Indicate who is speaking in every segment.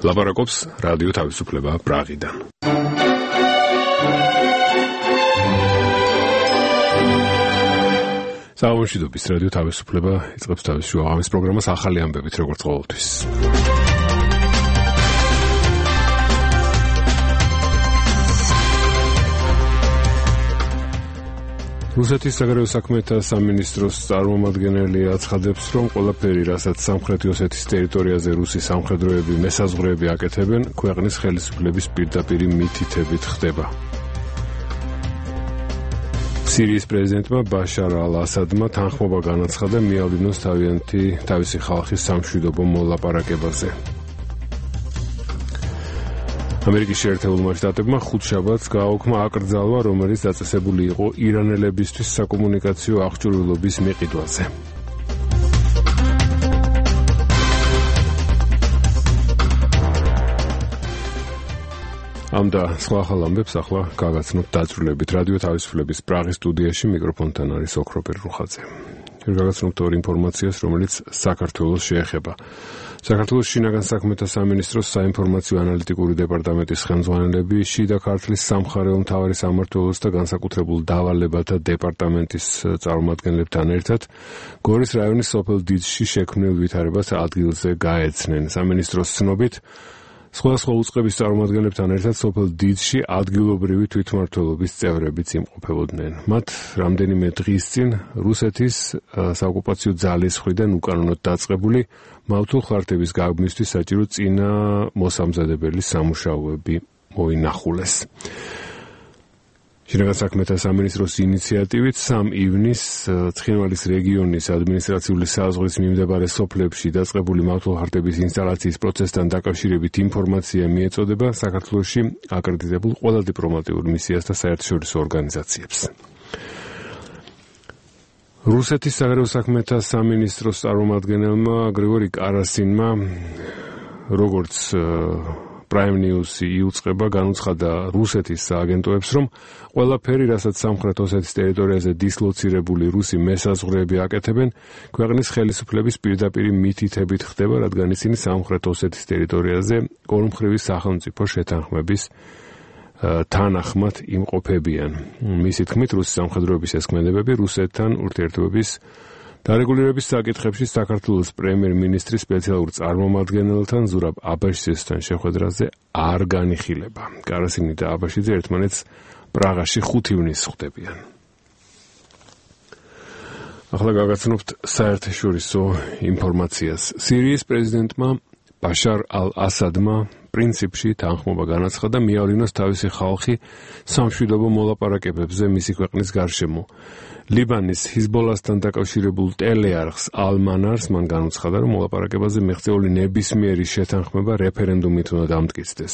Speaker 1: ლაპარაკობს რადიო თავისუფლება პრაღიდან. საუბრობთ რადიო თავისუფლება იწყებს თავის შუა ამის პროგრამას ახალი ამბებით როგორც ყოველთვის. რუსეთის საგარეო საქმეთა სამინისტროს წარმომადგენელი აცხადებს, რომ ყველაფერი, რასაც სამხრეთი ოსეთის ტერიტორიაზე რუსი სამხედროები მესაზღვრეები აკეთებენ, ქვეყნის ხელისუფლების პირდაპირი მითითებით ხდება. სირიის პრეზიდენტმა ბაშარ ალ-ასადმა თანხმობა განაცხადა მიავლინოს თავისი ხალხის სამშვიდობო მოლაპარაკებაზე. ამერიკის შეერთებულმა შტატებმა ხუთშაბათს გააუქმა აკრძალვა, რომელიც დაწესებული იყო ირანელებისთვის საკომუნიკაციო აღჭურვილობის მიყიდვაზე. ამ და სხვა ახალ ამბებს ახლა გაგაცნობთ დაწვრილებით. რადიო თავისუფლების პრაღის სტუდიაში მიკროფონთან არის ოქროპერ რუხაძე. გაგაცნობთ ორ ინფორმაციას, რომელიც საქართველოს შეეხება. საქართველოს შინაგან საქმეთა სამინისტროს საინფორმაციო ანალიტიკური დეპარტამენტის ხელმძღვანელები შიდა ქართლის სამხარეო მთავარი სამმართველოს და განსაკუთრებულ დავალებათა დეპარტამენტის წარმომადგენლებთან ერთად გორის რაიონის სოფელ დიდში შექმნილ ვითარებას ადგილზე გაეცნენ. სამინისტროს ცნობით სხვადასხვა უწყების წარმომადგენლებთან ერთად სოფელ დიდში ადგილობრივი თვითმმართველობის წევრებიც იმყოფებოდნენ. მათ რამდენიმე დღის წინ რუსეთის საოკუპაციო ძალის მხრიდან უკანონოდ დაწყებული მავთულ ხარტების გაბმისთვის საჭირო წინა მოსამზადებელი სამუშაოები მოინახულეს. შინაგან საქმეთა სამინისტროს ინიციატივით 3 ივნისს ცხინვალის რეგიონის ადმინისტრაციული საზღვრის მიმდებარე სოფლებში დაწყებული მავთულ ხარტების ინსტალაციის პროცესთან დაკავშირებით ინფორმაცია მიეწოდება საქართველოში აკრედიტებულ ყველა დიპლომატიურ მისიას და საერთაშორისო ორგანიზაციებს. რუსეთის საგარეო საქმეთა სამინისტროს წარმომადგენელმა გრიგორი კარასინმა როგორც Prime News იუწყება განუცხადა რუსეთის სააგენტოებს, რომ ყველაფერი, რასაც სამხრეთ ოსეთის ტერიტორიაზე დისლოცირებული რუსი მესაზღვრეები აკეთებენ, ქვეყნის ხელისუფლების პირდაპირი მითითებით ხდება, რადგან ისინი სამხრეთ ოსეთის ტერიტორიაზე ორმხრივი სახელმწიფო შეთანხმების თანახმად იმყოფებიან. მისი თქმით, რუსი სამხედროების ეს ქმედებები რუსეთთან ურთიერთობების დარეგულირების საკითხებში საქართველოს პრემიერ-მინისტრის სპეციალურ წარმომადგენელთან ზურაბ აბაშიძესთან შეხვედრაზე არ განიხილება. კარასინი და აბაშიძე ერთმანეთს პრაღაში 5 ივნისს ხვდებიან. ახლა გაგაცნობთ საერთაშორისო ინფორმაციას. სირიის პრეზიდენტმა ბაშარ ალ-ასადმა პრინციპში თანხმობა განაცხადა მიავლინოს თავისი ხალხი სამშვიდობო მოლაპარაკებებზე მისი ქვეყნის გარშემო. ლიბანის ჰიზბოლასთან დაკავშირებულ ტელეარხს ალ-მანარს მან განუცხადა, რომ მოლაპარაკებაზე მიღწეული ნებისმიერი შეთანხმება რეფერენდუმით უნდა დამტკიცდეს.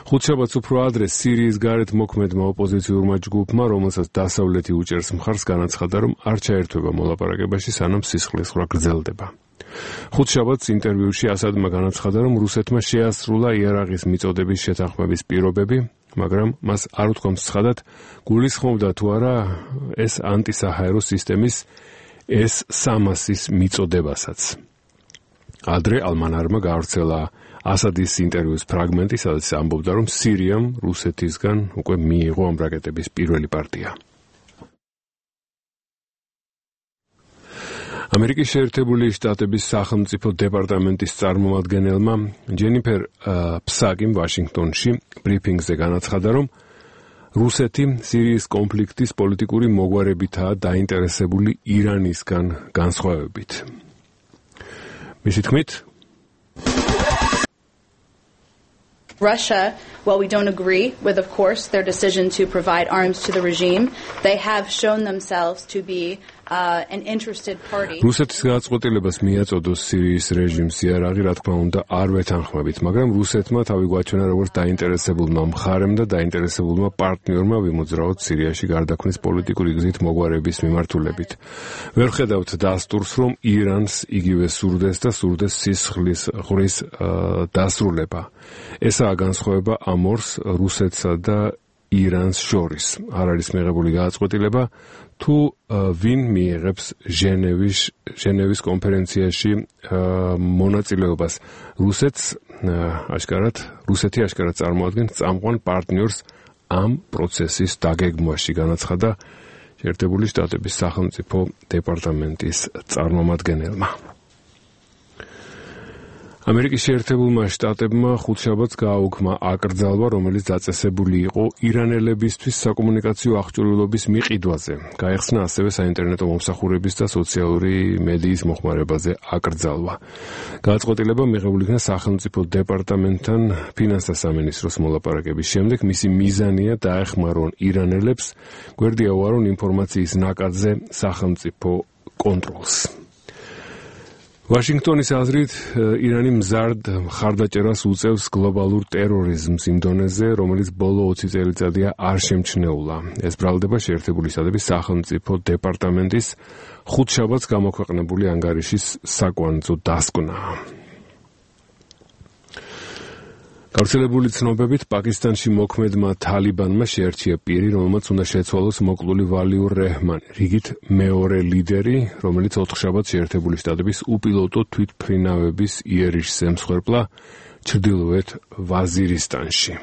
Speaker 1: ხუთშაბათს უფრო ადრე სირიის გარეთ მოქმედმა ოპოზიციურმა ჯგუფმა, რომელსაც დასავლეთი უჭერს მხარს, განაცხადა, რომ არ ჩაერთვება მოლაპარაკებაში, სანამ სისხლისღვრა გრძელდება. ხუთშაბათს ინტერვიუში ასადმა განაცხადა, რომ რუსეთმა შეასრულა იარაღის მიწოდების შეთანხმების პირობები, მაგრამ მას არ უთქვამს ცხადად, გულისხმობდა თუ არა ეს ანტისაჰაერო სისტემის S-300-ის მიწოდებასაც. ადრე ალ-მანარმა გავრცელა ასადის ინტერვიუს ფრაგმენტი, სადაც ამბობდა, რომ სირიამ რუსეთისგან უკვე მიიღო ამ რაკეტების პირველი პარტია. ამერიკის შეერთებული შტატების სახელმწიფო დეპარტამენტის წარმომადგენელმა ჯენიფერ ფსაკიმ ვაშინგტონში ბრიფინგზე განაცხადა, რომ რუსეთი სირიის კონფლიქტის პოლიტიკური მოგვარებითაა დაინტერესებული ირანისგან განსხვავებით. მისი თქმით,
Speaker 2: Russia, while we don't agree with, of course, their decision to provide arms to the regime, they have shown themselves to be an interested party.
Speaker 1: რუსეთის გადაწყვეტილებას მიაწოდოს სირიის რეჟიმს იარაღი, რა თქმა უნდა, არ ვეთანხმებით, მაგრამ რუსეთმა თავი გვაჩვენა როგორც დაინტერესებულმა მხარემ და დაინტერესებულმა პარტნიორმა ვიმოძრაოთ სირიაში გარდაქმნის პოლიტიკური გზით მოგვარების მიმართულებით. ვერ ხედავთ დასტურს, რომ ირანს იგივე სურდეს და სურდეს სისხლისღვრის დასრულება. ესაა განსხვავება ამ ორს, რუსეთსა და ირანს შორის. არ არის მიღებული გადაწყვეტილება თუ ვინ მიიღებს ჟენევის კონფერენციაში მონაწილეობას. რუსეთი აშკარად წარმოადგენს წამყვან პარტნიორს ამ პროცესის დაგეგმვაში, განაცხადა შეერთებული შტატების სახელმწიფო დეპარტამენტის წარმომადგენელმა. ამერიკის შეერთებულმა შტატებმა ხუთშაბათს გააუქმა აკრძალვა, რომელიც დაწესებული იყო ირანელებისთვის საკომუნიკაციო აღჭურვილობის მიყიდვაზე. გაიხსნა ასევე საინტერნეტო მომსახურების და სოციალური მედიის მოხმარებაზე აკრძალვა. გადაწყვეტილება მიღებული იქნა სახელმწიფო დეპარტამენტთან ფინანსთა სამინისტროს მოლაპარაკების შემდეგ. მისი მიზანია დაეხმარონ ირანელებს, გვერდი აუარონ ინფორმაციის ნაკადზე სახელმწიფო კონტროლს. ვაშინგტონის აზრით, ირანი მზარდ მხარდაჭერას უწევს გლობალურ ტერორიზმს იმ დონეზე, რომელიც ბოლო 20 წელიწადია არ შემჩნეულა. ეს ბრალდება შეერთებული შტატების სახელმწიფო დეპარტამენტის ხუთშაბათს გამოქვეყნებული ანგარიშის საკვანძო დასკვნაა. გავრცელებული ცნობებით, პაკისტანში მოქმედმა თალიბანმა შეარჩია პირი, რომელმაც უნდა შეცვალოს მოკლული ვალიურ რეჰმანი, რიგით მეორე ლიდერი, რომელიც ოთხშაბათს შეერთებული შტატების უპილოტო თვითმფრინავების იერიშს ემსხვერპლა ჩრდილოეთ ვაზირისტანში.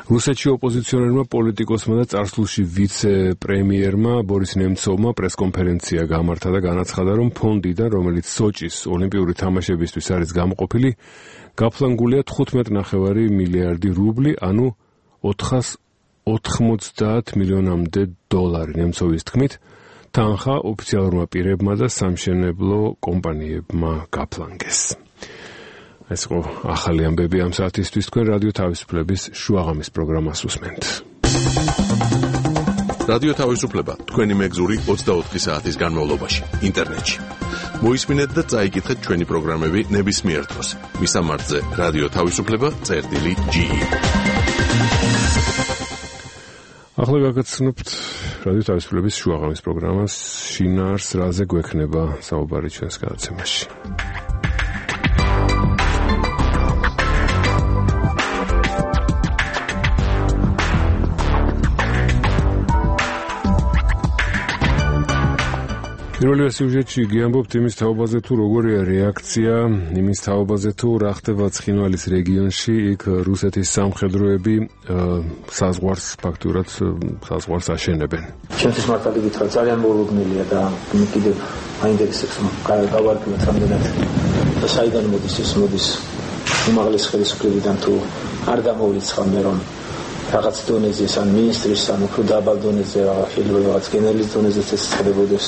Speaker 1: რუსეთში ოპოზიციონერმა პოლიტიკოსმა და წარსულში ვიცე-პრემიერმა ბორის ნემცოვმა პრესკონფერენცია გამართა და განაცხადა, რომ ფონდიდან, რომელიც სოჭის ოლიმპიური თამაშებისთვის არის გამოყოფილი, გაფლანგულია 15.5 მილიარდი რუბლი, ანუ 490 მილიონამდე დოლარი. ნემცოვის თქმით, თანხა ოფიციალურმა პირებმა და სამშენებლო კომპანიებმა გაფლანგეს. ეს იყო ახალი ამბები ამ საათისთვის. თქვენ რადიო თავისუფლების შუაღამის პროგრამას უსმენთ.
Speaker 3: რადიო თავისუფლება თქვენი მეგზური 24 საათის განმავლობაში ინტერნეტში. მოისმინეთ და წაიკითხეთ ჩვენი პროგრამები ნებისმიერ დროს. მისამართზე რადიო თავისუფლება.ge.
Speaker 1: ახლა გაგაცნობთ რადიო თავისუფლების შუაღამის პროგრამას შინაარს რაზე გვექნება საუბარი ჩვენს გადაცემაში. პირველი სიუჟეტში გიამბობთ იმის თაობაზე, თუ როგორია რეაქცია იმის თაობაზე, თუ რა ხდება ცხინვალის რეგიონში. იქ რუსეთის სამხედროები საზღვარს ფაქტურად საზღვარს აშენებენ.
Speaker 4: ჩემთვის მართალი გითხრა, ძალიან მოულოდნელია და კიდევ მაინტერესებს რომ გავარკვიოთ რამდენად და საიდან მოდის ეს მოდის უმაღლეს ხელისუფლებიდან თუ არ გამოვრიცხავ მე რომ რაღაც დონეზე ან მინისტრის ან უფრო დაბალ დონეზე შეიძლება რაღაც გენერლის დონეზე ეს ხდებოდეს.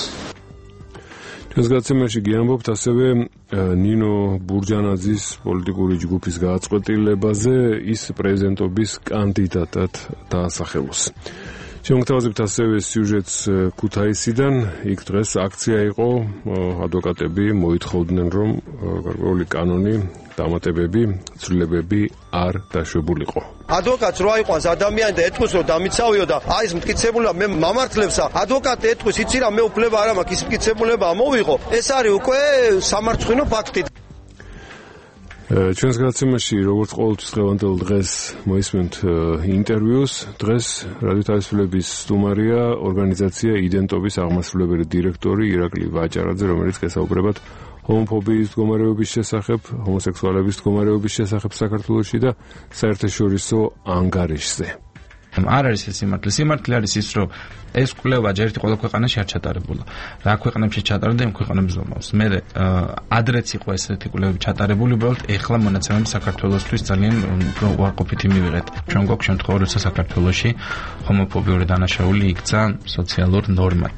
Speaker 1: ჩვენს გადაცემაში გიამბობთ ასევე ნინო ბურჯანაძის პოლიტიკური ჯგუფის გადაწყვეტილებაზე, ის პრეზიდენტობის კანდიდატად დაასახელოს. შემოგთავაზებთ ასევე სიუჟეტს ქუთაისიდან. იქ დღეს აქცია იყო, ადვოკატები მოითხოვდნენ, რომ გარკვეული კანონი, დამატებები, ცვლილებები არ დაშვებულიყო.
Speaker 5: ადვოკატს რო აიყვანს ადამიანი და ეთქვის რომ დამიცავიო და აი ეს მტკიცებულება მე მამართლებსა ადვოკატი ეთქვის იცი რა მე უფლება არ მაქვს ის მტკიცებულება ამოვიღო ეს არის უკვე სამარცხვინო ფაქტი.
Speaker 1: ჩვენს გადაცემაში როგორც ყოველთვის დღევანდელ დღეს მოისმენთ ინტერვიუს. დღეს რადიო თავისუფლების სტუმარია ორგანიზაცია იდენტობის აღმასრულებელი დირექტორი ირაკლი ვაჭარაძე, რომელიც გესაუბრებათ ჰომოფობიის მდგომარეობის შესახებ, ჰომოსექსუალების მდგომარეობის შესახებ საქართველოში და საერთაშორისო ანგარიშზე.
Speaker 6: არ არის ეს სიმართლე. სიმართლე არის ის, რომ ეს კვლევა ჯერ ერთი ყველა ქვეყანაში არ ჩატარებულა. რა ქვეყნებში ჩატარდა, იმ ქვეყნებს ზომავს. მე ადრეც იყო ესეთი კვლევები ჩატარებული, უბრალოდ ეხლა მონაცემები საქართველოსთვის ძალიან უარყოფითი მივიღეთ. ჩვენ გვაქვს შემთხვევა, როცა საქართველოში ჰომოფობიური დანაშაული იქცა სოციალურ ნორმად.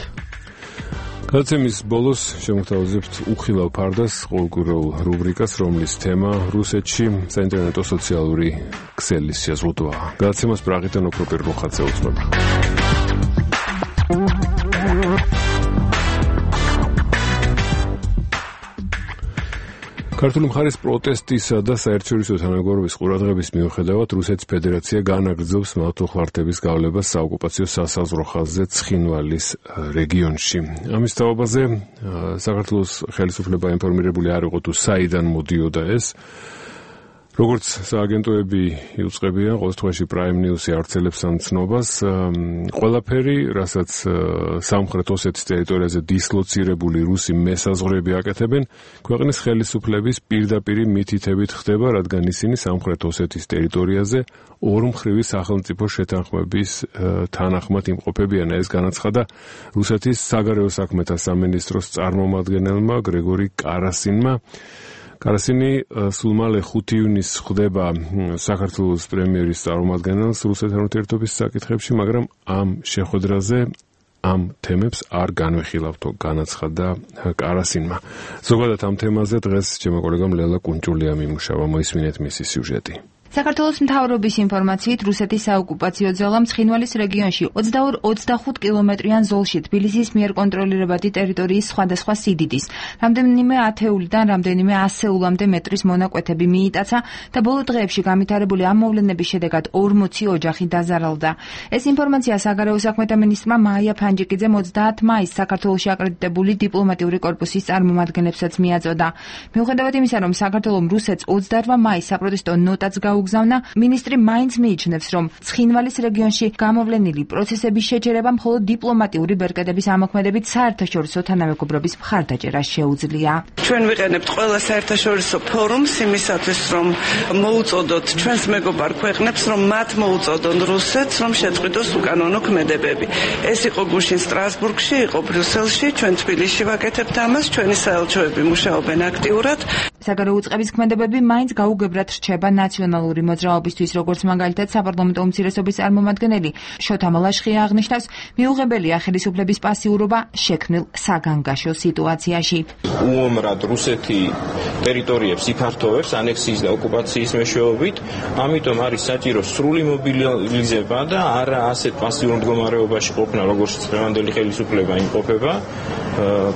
Speaker 1: გადაცემის ბოლოს შემოგთავაზებთ უხილავ ფარდას ყოველკვირეულ რუბრიკას, რომლის თემა რუსეთში საინტერნეტო სოციალური ქსელის შეზღუდვაა. გადაცემას პრაღიდან ოქროპირ რუხაძე უძღვება. ქართული მხარის პროტესტისა და საერთაშორისო თანამეგობრობის ყურადღების მიუხედავად რუსეთის ფედერაცია განაგრძობს მავთუხლართების გავლებას საოკუპაციო სასაზღვრო ხაზზე ცხინვალის რეგიონში. ამის თაობაზე საქართველოს ხელისუფლება ინფორმირებული არ იყო თუ საიდან მოდიოდა ეს. როგორც სააგენტოები იუწყებიან, ყოველ შემთხვევაში Prime News-ი ავრცელებს ამ ცნობას, ყველაფერი, რასაც სამხრეთ ოსეთის ტერიტორიაზე დისლოცირებული რუსი მესაზღვრეები აკეთებენ, ქვეყნის ხელისუფლების პირდაპირი მითითებით ხდება, რადგან ისინი სამხრეთ ოსეთის ტერიტორიაზე ორმხრივი სახელმწიფო შეთანხმების თანახმად იმყოფებიან. ეს განაცხადა რუსეთის საგარეო საქმეთა სამინისტროს წარმომადგენელმა გრიგორი კარასინმა. კარასინი სულ მალე 5 ივნისს ხვდება საქართველოს პრემიერის წარმომადგენელს რუსეთთან ურთიერთობის საკითხებში, მაგრამ ამ შეხვედრაზე ამ თემებს არ განვიხილავთო, განაცხადა კარასინმა. ზოგადად ამ თემაზე დღეს ჩემო კოლეგამ ლელა კუნჭულია მიმუშავა, მოისმინეთ მისი სიუჟეტი.
Speaker 7: საქართველოს მთავრობის ინფორმაციით რუსეთის საოკუპაციო ძალამ ცხინვალის რეგიონში 22-25 კილომეტრიან ზოლში თბილისის მიერ კონტროლირებადი ტერიტორიის სხვადასხვა სიდიდის, რამდენიმე ათეულიდან რამდენიმე ასეულამდე მეტრის მონაკვეთები მიიტაცა და ბოლო დღეებში განვითარებული ამ მოვლენების შედეგად 40 ოჯახი დაზარალდა. ეს ინფორმაცია საგარეო საქმეთა მინისტრმა მაია ფანჯიკიძემ 30 მაისს საქართველოში აკრედიტებული დიპლომატიური კორპუსის წარმომადგენლებსაც მიაწოდა. მიუხედავად იმისა, რომ საქართველომ რუსეთს 28 მაისს საპროტესტო ნოტაც გაუგზავნა, მინისტრი მაინც მიიჩნევს, რომ ცხინვალის რეგიონში გამოვლენილი პროცესების შეჯერება მხოლოდ დიპლომატიური ბერკეტების ამოქმედებით საერთაშორისო თანამეგობრობის მხარდაჭერა შეუძლია.
Speaker 8: ჩვენ ვიყენებთ ყველა საერთაშორისო ფორუმს იმისათვის, რომ მოუწოდოთ ჩვენს მეგობარ ქვეყნებს, რომ მათ მოუწოდონ რუსეთს, რომ შეწყვიტოს უკანონო ქმედებები. ეს იყო გუშინ სტრასბურგში, იყო ბრიუსელში, ჩვენ თბილისში ვაკეთებთ ამას, ჩვენი საელჩოები მუშაობენ აქტიურად.
Speaker 7: საგარეო უწყების ქმედებები მაინც გაუგებრად რჩება ნაციონალური მოძრაობისთვის, როგორც მაგალითად საპარლამენტო უმცირესობის წარმომადგენელი შოთა მალაშხია აღნიშნავს, მიუღებელია ხელისუფლების პასიურობა შექმნილ საგანგაშო სიტუაციაში.
Speaker 9: უომრად რუსეთი ტერიტორიებს იფართოვებს ანექსიის და ოკუპაციის მეშვეობით, ამიტომ არის საჭირო სრული მობილიზება და არა ასეთ პასიურ მდგომარეობაში ყოფნა, როგორც დღევანდელი ხელისუფლება იმყოფება.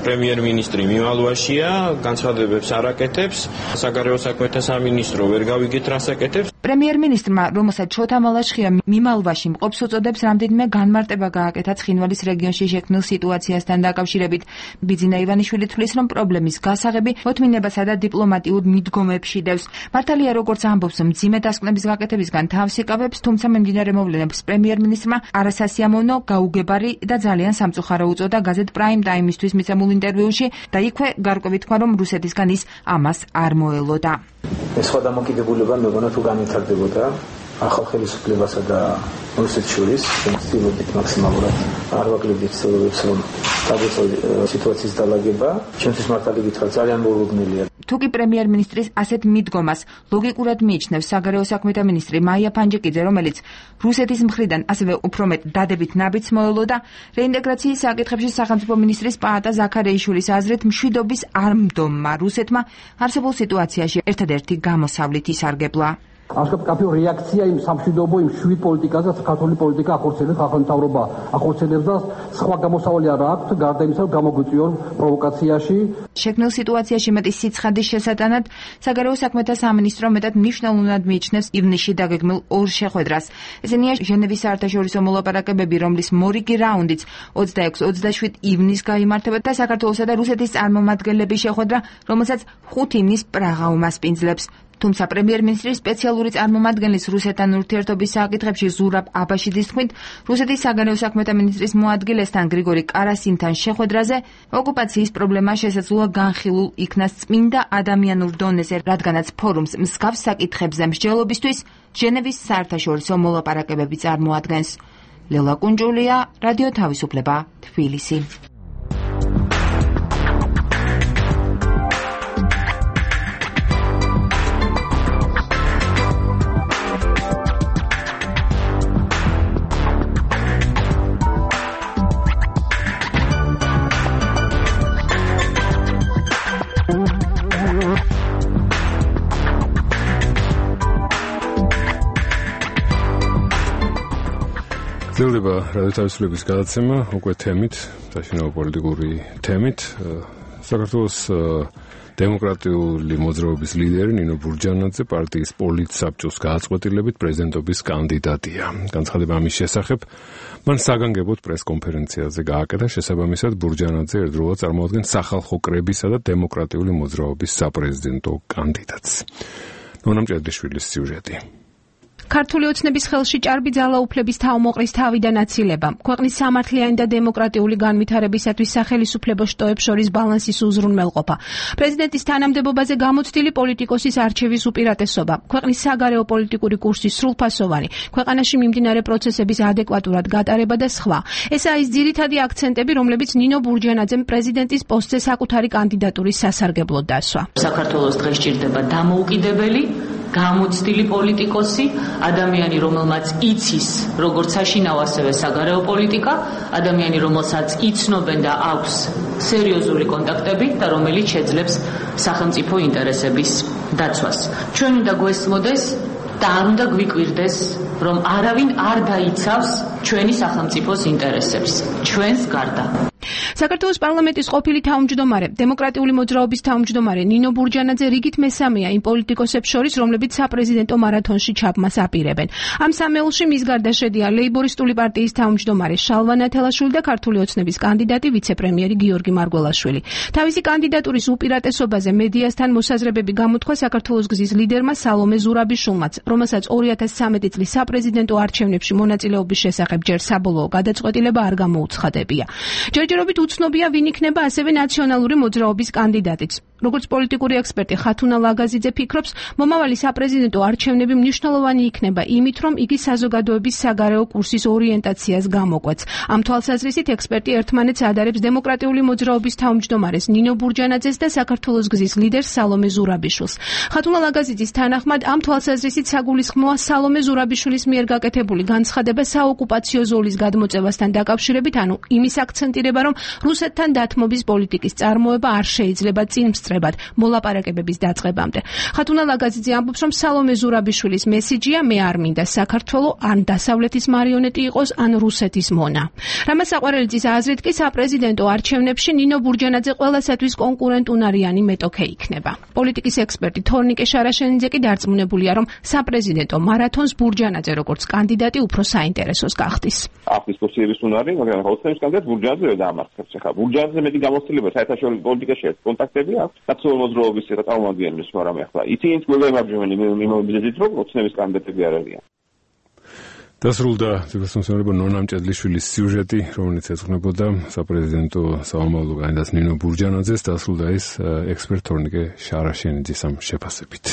Speaker 9: პრემიერ-მინისტრი მიმალვაშია, განცხადებებს არ აკეთებს, საგარეო საქმეთა სამინისტრო ვერ გავიგეთ რას აკეთებს.
Speaker 7: პრემიერ-მინისტრმა, რომელსაც შოთა მალაშხია მიმალვაში მყოფს უწოდებს, რამდენიმე განმარტება გააკეთა ცხინვალის რეგიონში შექმნილ სიტუაციასთან დაკავშირებით. ბიძინა ივანიშვილი თვლის, რომ პრობლემის გასაღები მოთმინებასა და დიპლომატიურ მიდგომებში დევს. მართალია, როგორც ამბობს, მძიმე დასკვნების გაკეთებისგან თავს იკავებს, თუმცა მიმდინარე მოვლენებს პრემიერ-მინისტრმა არასასიამოვნო, გაუგებარი და ძალიან სამწუხარო უწოდა გაზეთ Prime Time-ისთვის მიცემულ ინტერვიუში და იქვე გარკვევით თქვა, რომ რუსეთისგან ის ამას არ მოელოდა.
Speaker 4: ეს სხვა დამოკიდებულება მეგონა თუ განვითარდებოდა ახალ ხელისუფლებასა და რუსეთს შორის, ვცდილობთ მაქსიმალურად არ ვაკლებდით ცდილობებს, რომ დაგვეწოდოს სიტუაციის დალაგება. ჩვენთვის მართალი გითხრა ძალიან მოულოდნელია.
Speaker 7: თუკი პრემიერ-მინისტრის ასეთ მიდგომას ლოგიკურად მიიჩნევს საგარეო საქმეთა მინისტრი მაია ფანჯიკიძე, რომელიც რუსეთის მხრიდან ასევე უფრო მეტ დადებით ნაბიჯს მოელოდა, რეინტეგრაციის საკითხებში სახელმწიფო მინისტრის პაატა ზაქარეიშვილის აზრით, მშვიდობის არ მდომმა რუსეთმა არსებულ სიტუაციაში ერთადერთი გამოსავლით ისარგებლა.
Speaker 10: ასკაფკაფიო რეაქცია იმ სამშვიდობო იმ შვიდ პოლიტიკაზე, საქართველოს პოლიტიკა ახორციელებს, სახელმწიფო ახორციელებს და სხვა გამოსავალი არ აქვს, გარდა იმისა, რომ გამოგვიწვიონ პროვოკაციაში.
Speaker 7: შექმნილ სიტუაციაში მეტი სიცხადის შესატანად საგარეო საქმეთა სამინისტრო მეტად მნიშვნელოვნად მიიჩნევს ივნისში დაგეგმილ ორ შეხვედრას. ესენია ჟენევის საერთაშორისო მოლაპარაკებები, რომლის მორიგი რაუნდიც 26-27 ივნისს გაიმართება და საქართველოსა და რუსეთის წარმომადგენლების შეხვედრა, რომელსაც 5 ივნისს პრაღა უმასპინძლებს. თუმცა პრემიერ-მინისტრის სპეციალური წარმომადგენლის რუსეთთან ურთიერთობის საკითხებში ზურაბ აბაშიძის თქმით, რუსეთის საგარეო საქმეთა მინისტრის მოადგილესთან გრიგორი კარასინთან შეხვედრაზე ოკუპაციის პრობლემა შესაძლოა განხილულ იქნას წმინდა ადამიანურ დონეზე, რადგანაც ფორუმს მსგავს საკითხებზე მსჯელობისთვის ჟენევის საერთაშორისო მოლაპარაკებები წარმოადგენს. ლელა კუნჭულია, რადიო თავისუფლება, თბილისი.
Speaker 1: გრძელდება რადიო თავისუფლების გადაცემა უკვე თემით, საშინაო პოლიტიკური თემით. საქართველოს დემოკრატიული მოძრაობის ლიდერი ნინო ბურჯანაძე პარტიის პოლიტსაბჭოს გააწყვეტილებით პრეზიდენტობის კანდიდატია. განცხადება ამის შესახებ მან საგანგებოდ პრესკონფერენციაზე გააკეთა, შესაბამისად ბურჯანაძე ერთდროულად წარმოადგენს სახალხო კრებისა და დემოკრატიული მოძრაობის საპრეზიდენტო კანდიდატს. ნონა მჭედლიშვილის სიუჟეტი.
Speaker 11: ქართული ოცნების ხელში ჭარბი ძალაუფლების თავმოყრის თავიდან აცილება, ქვეყნის სამართლიანი და დემოკრატიული განვითარებისათვის სახელისუფლებო შტოებს შორის ბალანსის უზრუნველყოფა, პრეზიდენტის თანამდებობაზე გამოცდილი პოლიტიკოსის არჩევის უპირატესობა, ქვეყნის საგარეო პოლიტიკური კურსის სრულფასოვანი, ქვეყანაში მიმდინარე პროცესების ადეკვატურად გატარება და სხვა. ესაა ის ძირითადი აქცენტები, რომლებიც ნინო ბურჯანაძემ პრეზიდენტის პოსტზე საკუთარი კანდიდატურის სასარგებლოდ დასვა.
Speaker 12: საქართველოს დღეს ჭირდება დამოუკიდებელი გამოცდილი პოლიტიკოსი, ადამიანი, რომელმაც იცის როგორც საშინაო, ასევე საგარეო პოლიტიკა, ადამიანი, რომელსაც იცნობენ და აქვს სერიოზული კონტაქტები და რომელიც შეძლებს სახელმწიფო ინტერესების დაცვას. ჩვენ უნდა გვესმოდეს და არ უნდა გვიკვირდეს, რომ არავინ არ დაიცავს ჩვენი სახელმწიფოს ინტერესებს, ჩვენს გარდა.
Speaker 11: საქართველოს პარლამენტის ყოფილი თავმჯდომარე, დემოკრატიული მოძრაობის თავმჯდომარე ნინო ბურჯანაძე რიგით მესამეა იმ პოლიტიკოსებს შორის, რომლებიც საპრეზიდენტო მარათონში ჩაბმას აპირებენ. ამ სამეულში მის გარდა შედიან ლეიბორისტული პარტიის თავმჯდომარე შალვა ნათელაშვილი და ქართული ოცნების კანდიდატი ვიცე-პრემიერი გიორგი მარგველაშვილი. თავისი კანდიდატურის უპირატესობაზე მედიასთან მოსაზრებები გამოთქვა საქართველოს გზის ლიდერმა სალომე ზურაბიშვილმაც, რომელსაც 2013 წლის საპრეზიდენტო არჩევნებში მონაწილეობის შესახებ ჯერ საბოლოო გადაწყვეტილება არ გამოუცხადებია. ჯერჯერობით უცნობია ვინ იქნება ასევე ნაციონალური მოძრაობის კანდიდატიც. როგორც პოლიტიკური ექსპერტი ხათუნა ლაგაზიძე ფიქრობს, მომავალი საპრეზიდენტო არჩევნები მნიშვნელოვანი იქნება იმით, რომ იგი საზოგადოების საგარეო კურსის ორიენტაციას გამოკვეთს. ამ თვალსაზრისით ექსპერტი ერთმანეთს ადარებს დემოკრატიული მოძრაობის თავმჯდომარეს ნინო ბურჯანაძეს და საქართველოს გზის ლიდერს სალომე ზურაბიშვილს. ხათუნა ლაგაზიძის თანახმად, ამ თვალსაზრისით საგულისხმოა სალომე ზურაბიშვილის მიერ გაკეთებული განცხადება საოკუპაციო ზოლის გადმოწევასთან დაკავშირებით, ანუ იმის აქცენტირება, რომ რუსეთთან დათმობის პოლიტიკის წარმოება არ შეიძლება წინ სწრებად მოლაპარაკებების დაწყებამდე. ხათუნა ლაგაზიძე ამბობს, რომ სალომე ზურაბიშვილის მესიჯია მე არ მინდა საქართველო ან დასავლეთის მარიონეტი იყოს, ან რუსეთის მონა. რამაზ საყვარელიძის აზრით კი საპრეზიდენტო არჩევნებში ნინო ბურჯანაძე ყველასათვის კონკურენტუნარიანი მეტოქე იქნება. პოლიტიკის ექსპერტი თორნიკე შარაშენიძე კი დარწმუნებულია, რომ საპრეზიდენტო მარათონს ბურჯანაძე როგორც კანდიდატი უფრო საინტერესოს გახდის.
Speaker 13: აქ დისკუსიების უნარი, მაგრამ ოცნების კანდიდატ ბურჯანაძე დაამარცხებს. ახლა ბურჯანაძე მეტი გამოცდილება საერთაშორისო პოლიტიკაში აქვს, კონტაქტები აქვს, ნაციონალური მოძრაობის წარმომადგენლებს, მაგრამ ახლა ისინიც გვეგებარებიან იმობილიზებით, რომ ოცნების კანდიდატები არ არიან.
Speaker 1: დასრულდა ძეგლსამსახურებო ნონა მჭედლიშვილის სიუჟეტი, რომელიც ეძღვნებოდა საპრეზიდენტო სამომავლო კანდიდატს ნინო ბურჯანაძეს, დასრულდა ის ექსპერტ თორნიკე შარაშენიძის ამ შეფასებით.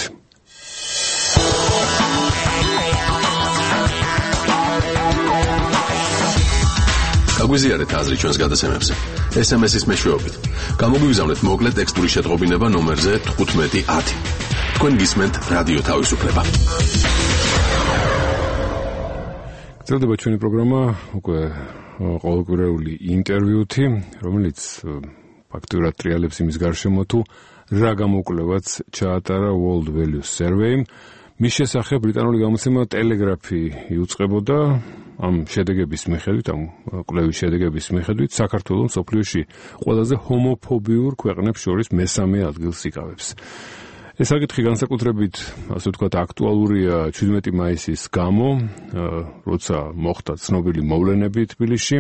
Speaker 3: გაგვიზიარეთ აზრი ჩვენს გადაცემებზე. SMS-ის მეშვეობით. გამოგვიგზავნეთ მოკლე ტექსტური შეტყობინება ნომერზე 1510. თქვენ გისმენთ რადიო თავისუფლება. გრძელდება ჩვენი პროგრამა, უკვე ყოველკვირეული ინტერვიუთი, რომელიც ფაქტურად ტრიალებს იმის გარშემო თუ რა გამოკვლევაც ჩაატარა World Values Survey. მის შესახებ ბრიტანული გამოცემა ტელეგრაფი იუწყებოდა ამ შედეგების მიხედვით, ამ კვლევის შედეგების მიხედვით, საქართველო მსოფლიოში ყველაზე ჰომოფობიურ ქვეყნებს შორის მესამე ადგილს იკავებს. ეს საკითხი განსაკუთრებით, ასე ვთქვათ, აქტუალურია 17 მაისის გამო, როცა მოხდა ცნობილი მოვლენები თბილისში.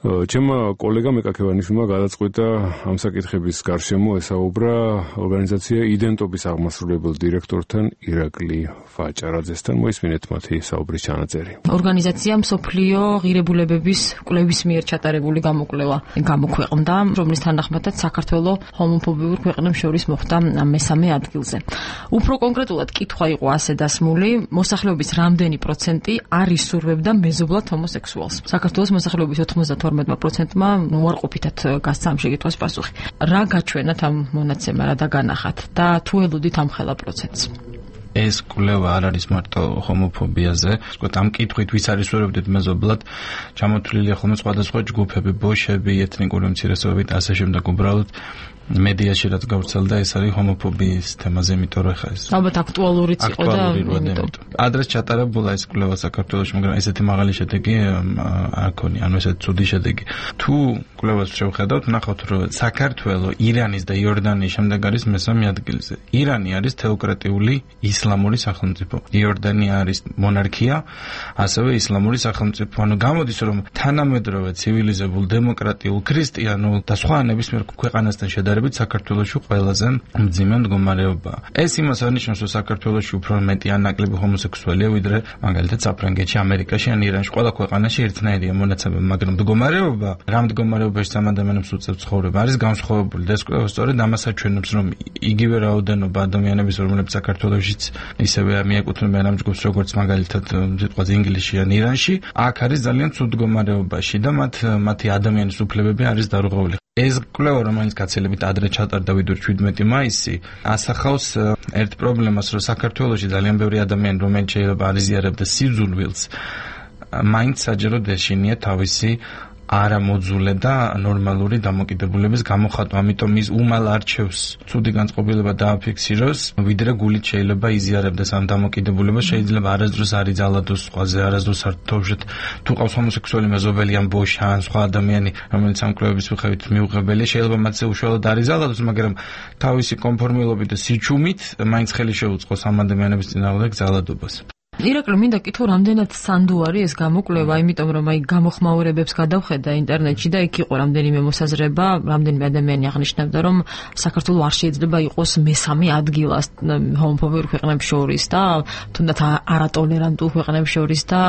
Speaker 3: ჩემმა კოლეგამ ეკაკევანიშვილმა გადაწყვიტა ამ საკითხების გარშემო ესაუბრა ორგანიზაცია იდენტობის აღმასრულებელ დირექტორთან ირაკლი ვაჭარაძესთან. მოისმინეთ მათი საუბრის ჩანაწერი.
Speaker 12: ორგანიზაცია მსოფლიო ღირებულებების კვლევის მიერ ჩატარებული გამოკვლევა გამოქვეყნდა, რომლის თანახმადაც საქართველო ჰომოფობიურ ქვეყნებს შორის მოხვდა მესამე ადგილზე. უფრო კონკრეტულად კითხვა იყო ასე დასმული, მოსახლეობის რამდენი პროცენტი არ ისურვებდა მეზობლად ჰომოსექსუალს. საქართველოს მოსახლეობის 92%-მა უარყოფითად გასცა ამ შეკითხვის პასუხი. რა გაჩვენათ ამ მონაცემა, რა დაგანახათ და თუ ელოდით ამ ხელა პროცენტს?
Speaker 6: ეს კვლევა არ არის მარტო ჰომოფობიაზე, ვთქვათ, ამ კითხვით ვის არ ისურვებდით მეზობლად, ჩამოთვლილია ხოლმე სხვადასხვა ჯგუფები, ბოშები, ეთნიკური უმცირესობები და ასე შემდეგ. უბრალოდ მედიაში რაც გავრცელდა, ეს არის ჰომოფობიის თემაზე, იმიტომ რომ ხა ეს
Speaker 12: ალბათ აქტუალურიც იყო და
Speaker 6: ადრეს ჩატარებულა ეს კვლევა საქართველოში, მაგრამ ესეთი მაღალი შედეგი არ ქონია, ანუ ესეთი ცუდი შედეგი. თუ კვლევას შევხედავთ, ნახავთ, რომ საქართველო ირანის და იორდანიის შემდეგ არის მესამე ადგილზე. ირანი არის თეოკრატიული ისლამური სახელმწიფო. იორდანია არის მონარქია, ასევე ისლამური სახელმწიფო. ანუ გამოდის, რომ თანამედროვე ცივილიზებულ, დემოკრატიულ, ქრისტიანულ და სხვა ნებისმიერ ქვეყანასთან შედარებით შედარებით საქართველოში ყველაზე მძიმე მდგომარეობაა. ეს იმას არნიშნავს, რომ საქართველოში უფრო მეტი ან ნაკლები ჰომოსექსუალია, ვიდრე მაგალითად საფრანგეთში, ამერიკაში ან ირანში. ყველა ქვეყანაში ერთნაირია მონაცემები, მაგრამ მდგომარეობა, რა მდგომარეობაში სამ ადამიანებს უწევს ცხოვრება, არის განსხვავებული და ეს კვლევა სწორედ ამას აჩვენებს, რომ იგივე რაოდენობა ადამიანების, რომლებიც საქართველოშიც ისევე მიეკუთვნებიან ამ ჯგუფს, როგორც მაგალითად სიტყვაზე ინგლისში ან ირანში, აქ არის ძალიან ცუდ მდგომარეობაში და მათი ადამიანის უფლებები არის დარღვეული. ეს კვლევა, რომელიც გაცილებით ადრე ჩატარდა ვიდრე 17 მაისი, ასახავს ერთ პრობლემას, რომ საქართველოში ძალიან ბევრი ადამიანი, რომელიც შეიძლება არიზიარებდა სიძულვილს, მაინც საჯაროდ ეშინია თავისი არამოძულე და ნორმალური დამოკიდებულების გამოხატვა, ამიტომ ის უმალ არჩევს ცუდი განწყობილება დააფიქსიროს, ვიდრე გულით შეიძლება იზიარებდეს ამ დამოკიდებულებას, შეიძლება არასდროს არ იძალადოს სხვაზე, არასდროს არ თოვშეთ თუ ყავს ჰომოსექსუალი მეზობელი ან ბოშა ან სხვა ადამიანი, რომელიც ამ კვლევების მიხედვით მიუღებელია, შეიძლება მათზე უშუალოდ არ იძალადოს, მაგრამ თავისი კონფორმილობით და სიჩუმით მაინც ხელი შეუწყოს ამ ადამიანების წინააღმდეგ ძალადობას.
Speaker 12: ირაკლი, მინდა კითხო, რამდენად სანდო არის ეს გამოკვლევა, იმიტომ რომ გამოხმაურებებს გადავხედა ინტერნეტში და იქ იყო რამდენიმე მოსაზრება, რამდენიმე ადამიანი აღნიშნავდა, რომ საქართველო არ შეიძლება იყოს მესამე ადგილას ჰომოფობიურ ქვეყნებს შორის და თუნდაც არატოლერანტულ ქვეყნებს შორის და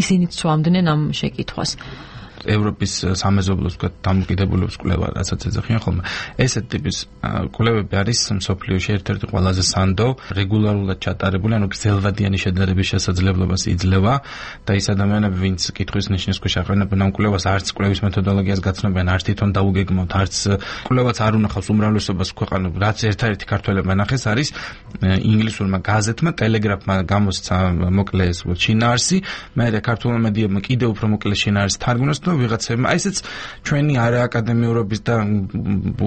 Speaker 12: ისინიც სვამდნენ ამ შეკითხვას.
Speaker 6: ევროპის სამეზობლოს დამოკიდებულების კვლევა, რასაც ეძახიან ხოლმე. ესეთ ტიპის კვლევები არის მსოფლიოში ერთ-ერთი ყველაზე სანდო, რეგულარულად ჩატარებული, ანუ გრძელვადიანი შედარების შესაძლებლობას იძლევა და ის ადამიანები, ვინც კითხვის ნიშნის ქვეშ აყენებენ ამ კვლევას, არც კვლევის მეთოდოლოგიას გაცნობენ, არც თვითონ დაუგეგმოთ, არც კვლევაც არ უნახავს უმრავლესობას ქვეყანულ, რაც ერთ-ერთი ქართველებმა ნახეს, არის ინგლისურმა გაზეთმა, ტელეგრაფმა გამოსცა მოკლე შინაარსი, მერე ქართულმა მედიებმა კიდევ უფრო მოკლე შინაარსი თარგმნოს და ვიღაცებმა, ესეც ჩვენი არააკადემიურობის და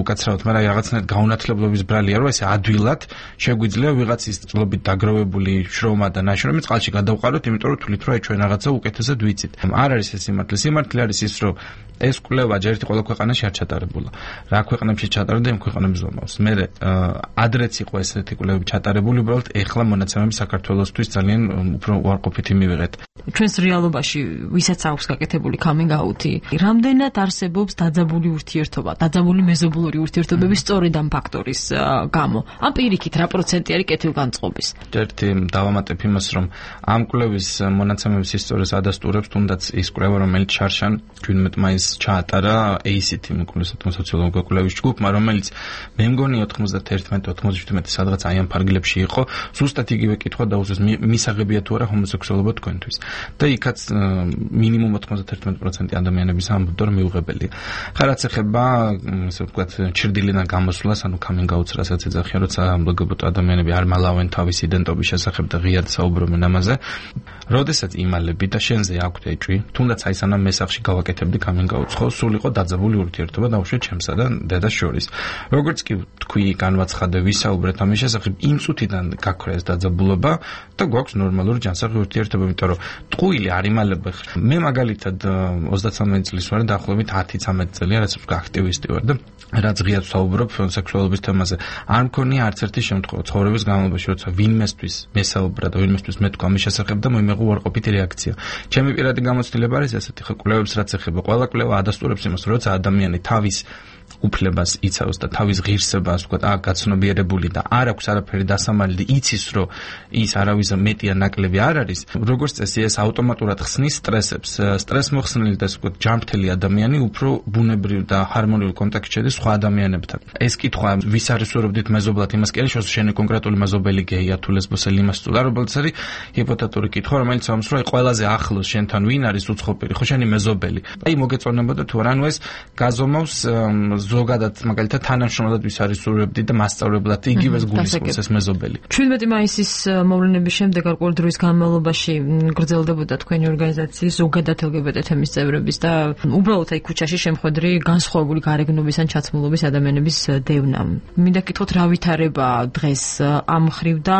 Speaker 6: უკაცრავად, მაგრამ რაღაცნაირად გაუნათლებლობის ბრალია, რომ ესე ადვილად შეგვიძლია ვიღაცის წლობით დაგროვებული შრომა და ნაშრომი წყალში გადავყაროთ, იმიტომ რომ თვლით, რომ ჩვენ რაღაცა უკეთესად ვიცით. არ არის ეს სიმართლე. სიმართლე არის ის, რომ ეს კვლევა ჯერ ყველა ქვეყანაში არ ჩატარებულა. რა ქვეყნებში ჩატარდა, იმ ქვეყნებს ზომავს. მე ადრეც იყო ესეთი კვლევები ჩატარებული, უბრალოდ ეხლა მონაცემები საქართველოსთვის ძალიან უფრო უარყოფითი მივიღეთ.
Speaker 12: ჩვენს რეალობაში ვისაც აქვს გაკეთებული coming out-ი, რამდენად არსებობს დაძაბული ურთიერთობა, დაძაბული მეზობლური ურთიერთობები სწორედ ამ ფაქტორის გამო. ამ პირიქით რა პროცენტი არის კეთილგანწყობის?
Speaker 6: ერთი დავამატებ იმას, რომ ამ კვლევის მონაცემების ისტორიას ადასტურებს თუნდაც ის კვლევა, რომელიც შარშან 17 მაისს ჩაატარა ACT სოციოლოგიური კვლევის ჯგუფმა, რომელიც მე მგონი 91-97 სადღაც აი ამ ფარგლებში იყო, ზუსტად იგივე კითხვა დაუსვეს, მისაღებია თუ არა ჰომოსექსუალობა თქვენთვის. და იქაც მინიმუმ 91% ადამიანების ამბობდა, რომ მიუღებელია. ხარაც ეხება, ასე ვთქვათ, ჩრდილიდან გამოსვლას, ანუ coming out-ს, რასაც ეძახიან, როცა LGBT ადამიანები არ მალავენ თავის იდენტობის შესახებ და ღიად საუბრობენ ამაზე. როდესაც იმალები და შენზე აქვთ ეჭვი, თუნდაც აი სანამ მესახში გავაკეთებდი coming out-ს, ხო, სულ იყო დაძაბული ურთიერთობა დაუშვათ ჩემსა და დედას შორის. როგორც კი თქვი, განვაცხადე, ვისაუბრეთ ამის შესახებ, იმ წუთიდან გაქვია ეს დაძაბულობა და გვაქვს ნორმალური ჯანსაღი ურთიერთობა, იმიტომ რომ ტყუილი არ იმალება. მე მაგალითად 33 წლის ვარ, დაახლოებით 10-13 წელია, რაც აქტივისტი ვარ და რაც ღიად ვსაუბრობ სექსუალობის თემაზე. არ მქონია არც ერთი შემთხვევა ცხოვრების განმავლობაში, როცა ვინმესთვის მესაუბრა და ვინმესთვის მეთქვა ამის შესახებ და მოიმეღო უარყოფითი რეაქცია. ჩემი პირადი გამოცდილება არის ესეთი, ხო, კვლევებს რაც ეხება, ყველა კვლევა ადასტურებს იმას, როცა ადამიანი თავის უფლებას იცავს და თავის ღირსებას, ვთქვათ, გაცნობიერებული და არ აქვს არაფერი დასამალი და იცის, რომ ის არავის მეტი ან ნაკლები არ არის, როგორც წესი ეს ავტომატურად ხსნის სტრესებს. სტრესმოხსნილი და ვთქვათ, ჯანმრთელი ადამიანი უფრო ბუნებრივ და ჰარმონიულ კონტაქტში შედის სხვა ადამიანებთან. ეს კითხვა, ვის არის ვერობდით მეზობლად, იმას კი არის შენი კონკრეტული მეზობელი გეია თუ ლესბოსელი იმას წულა, რომელიც არის ჰიპოთეტური კითხვა, რომელიც ამს რომ ყველაზე ახლოს შენთან ვინ არის უცხოპირი, ხო შენი მეზობელი. აი მოგეწონებოდა თუ არა, ანუ ეს გაზომავს ზოგადად მაგალითად თანამშრომლად ვის არის სურვებდი და მასწავლებლად იგივეს გულისხმობს ეს მეზობელი.
Speaker 12: 17 მაისის მოვლენების შემდეგ არ ყოველ დროის განმავლობაში გრძელდებოდა თქვენი ორგანიზაციის ზოგადად LGBT თემის წევრების და უბრალოდ აი ქუჩაში შემხვედრი განსხვავებული გარეგნობის ან ჩაცმულობის ადამიანების დევნა. მინდა კითხოთ, რა ვითარება დღეს ამ მხრივ და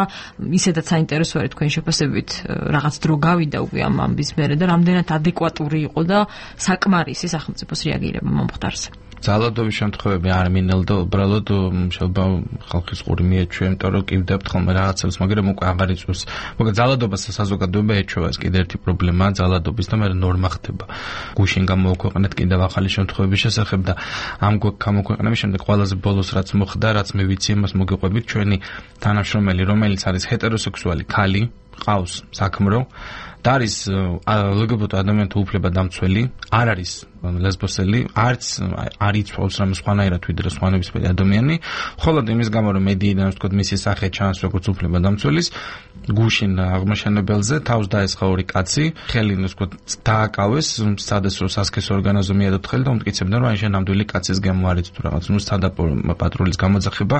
Speaker 12: ისედაც საინტერესო არის თქვენი შეფასებით რაღაც დრო გავიდა უკვე ამ ამბის მერე და რამდენად ადეკვატური იყო და საკმარისი სახელმწიფოს რეაგირება მომხდარზე.
Speaker 6: ძალადობის შემთხვევები არ მინელდა უბრალოდ შეიძლება ხალხის ყური მიეჩვია, იმიტომ რომ კივდებთ ხოლმე რაღაცებს, მაგრამ უკვე აღარ იწვევს. მოკლედ ძალადობას საზოგადოება ეჩვევა, ეს კიდე ერთი პრობლემაა ძალადობის და მე ნორმა ხდება. გუშინ გამოუქვეყნეთ კიდევ ახალი შემთხვევების შესახებ და ამ გამოქვეყნების შემდეგ ყველაზე ბოლოს რაც მოხდა, რაც მე ვიცი, იმას მოგიყვებით, ჩვენი თანამშრომელი, რომელიც არის heterosexuali khali, ყავს საქმრო და არის LGBT ადამიანთა უფლება დამცველი, არ არის ლესბოსელი, არც არ იცვავს რამ სხვანაირად ვიდრე სხვანებისმიერი ადამიანი, ხოლო იმის გამო რომ მედიიდან ვთქვათ მისი სახე ჩანს როგორც უფლება დამცველის, გუშინ აღმაშენებელზე თავს დაესხა ორი კაცი, ხელი ვთქვათ დააკავეს, სადაც რომ სასქესო ორგანოზე მიედოთ ხელი და უმტკიცებდნენ რომ აი შენ ნამდვილი კაცის გემო არის თუ რაღაც, ნუ სადა პატრულის გამოძახება,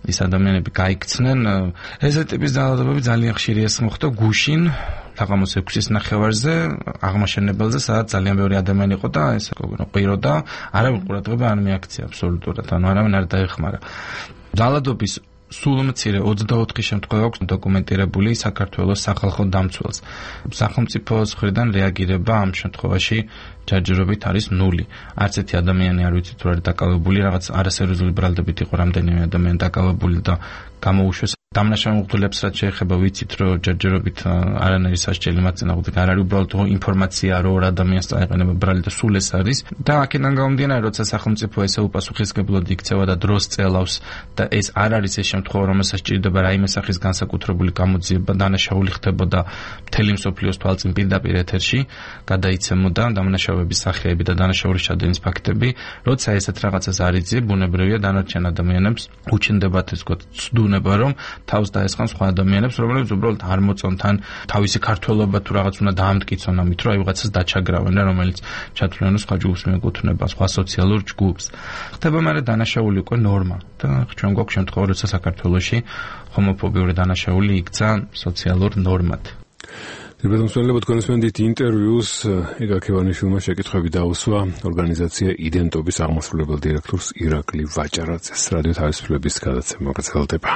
Speaker 6: ის ადამიანები გაიქცნენ. ეს ტიპის ძალადობები ძალიან ხშირი ეს მოხდა გუშინ თაღამოს 6-ის ნახევარზე აღმაშენებელზე, სადაც ძალიან ბევრი ადამიანი იყო და ეს ყვირო და არავინ ყურადღება არ მიაქცია აბსოლუტურად, ანუ არავინ არ დაეხმარა. ძალადობის სულ მცირე 24 შემთხვევა აქვს დოკუმენტირებული საქართველოს სახალხო დამცველს. სახელმწიფოს მხრიდან რეაგირება ამ შემთხვევაში ჯერჯერობით არის 0. არც ერთი ადამიანი არ ვიცი თუ არის დაკავებული, რაღაც არასერიოზული ბრალდებით იყო რამდენიმე ადამიანი დაკავებული და გამოუშვეს. დამნაშავე მღვდლებს რაც შეეხება ვიცით რომ ჯერჯერობით არანაირი სასჯელი მათ წინააღმდეგ არ არის, უბრალოდ ინფორმაცია რომ ორ ადამიანს წაეყენება ბრალი და სულ ეს არის და აქედან გამომდინარე როცა სახელმწიფო ესე უპასუხისმგებლად იქცევა და დროს წელავს და ეს არ არის ეს შემთხვევა რომელსაც სჭირდება რაიმე სახის განსაკუთრებული გამოძიება, დანაშაული ხდებოდა მთელი მსოფლიოს თვალწინ პირდაპირ ეთერში გადაიცემოდა დამნაშავების სახეები და დანაშაულის ჩადენის ფაქტები, როცა ესეთ რაღაცას არ იძლია, ბუნებრივია დანარჩენ ადამიანებს უჩნდებათ ეს ვთქვათ ცდუნება რომ თავს დაესხან სხვა ადამიანებს, რომლებიც უბრალოდ არ მოწონთ ან თავისი ქართველობა თუ რაღაც უნდა დაამტკიცონ ამით, რომ აი ვიღაცას დაჩაგრავენ და რომელიც ჩათვლიანო სხვა ჯგუფს მიეკუთვნება, სხვა სოციალურ ჯგუფს. ხდება მაგრამ დანაშაული უკვე ნორმა და ჩვენ გვაქვს შემთხვევა, როცა საქართველოში ჰომოფობიური დანაშაული იქცა სოციალურ ნორმად.
Speaker 3: Დებედომსვენებო თქვენსმენდით ინტერვიუს იგა ქევანიშვილმა შეკითხვები დაუსვა ორგანიზაცია იდენტობის აღმასრულებელ დირექტორს ირაკლი ვაჭარაძეს. რადიო თავისუფლების გადაცემა გრძელდება.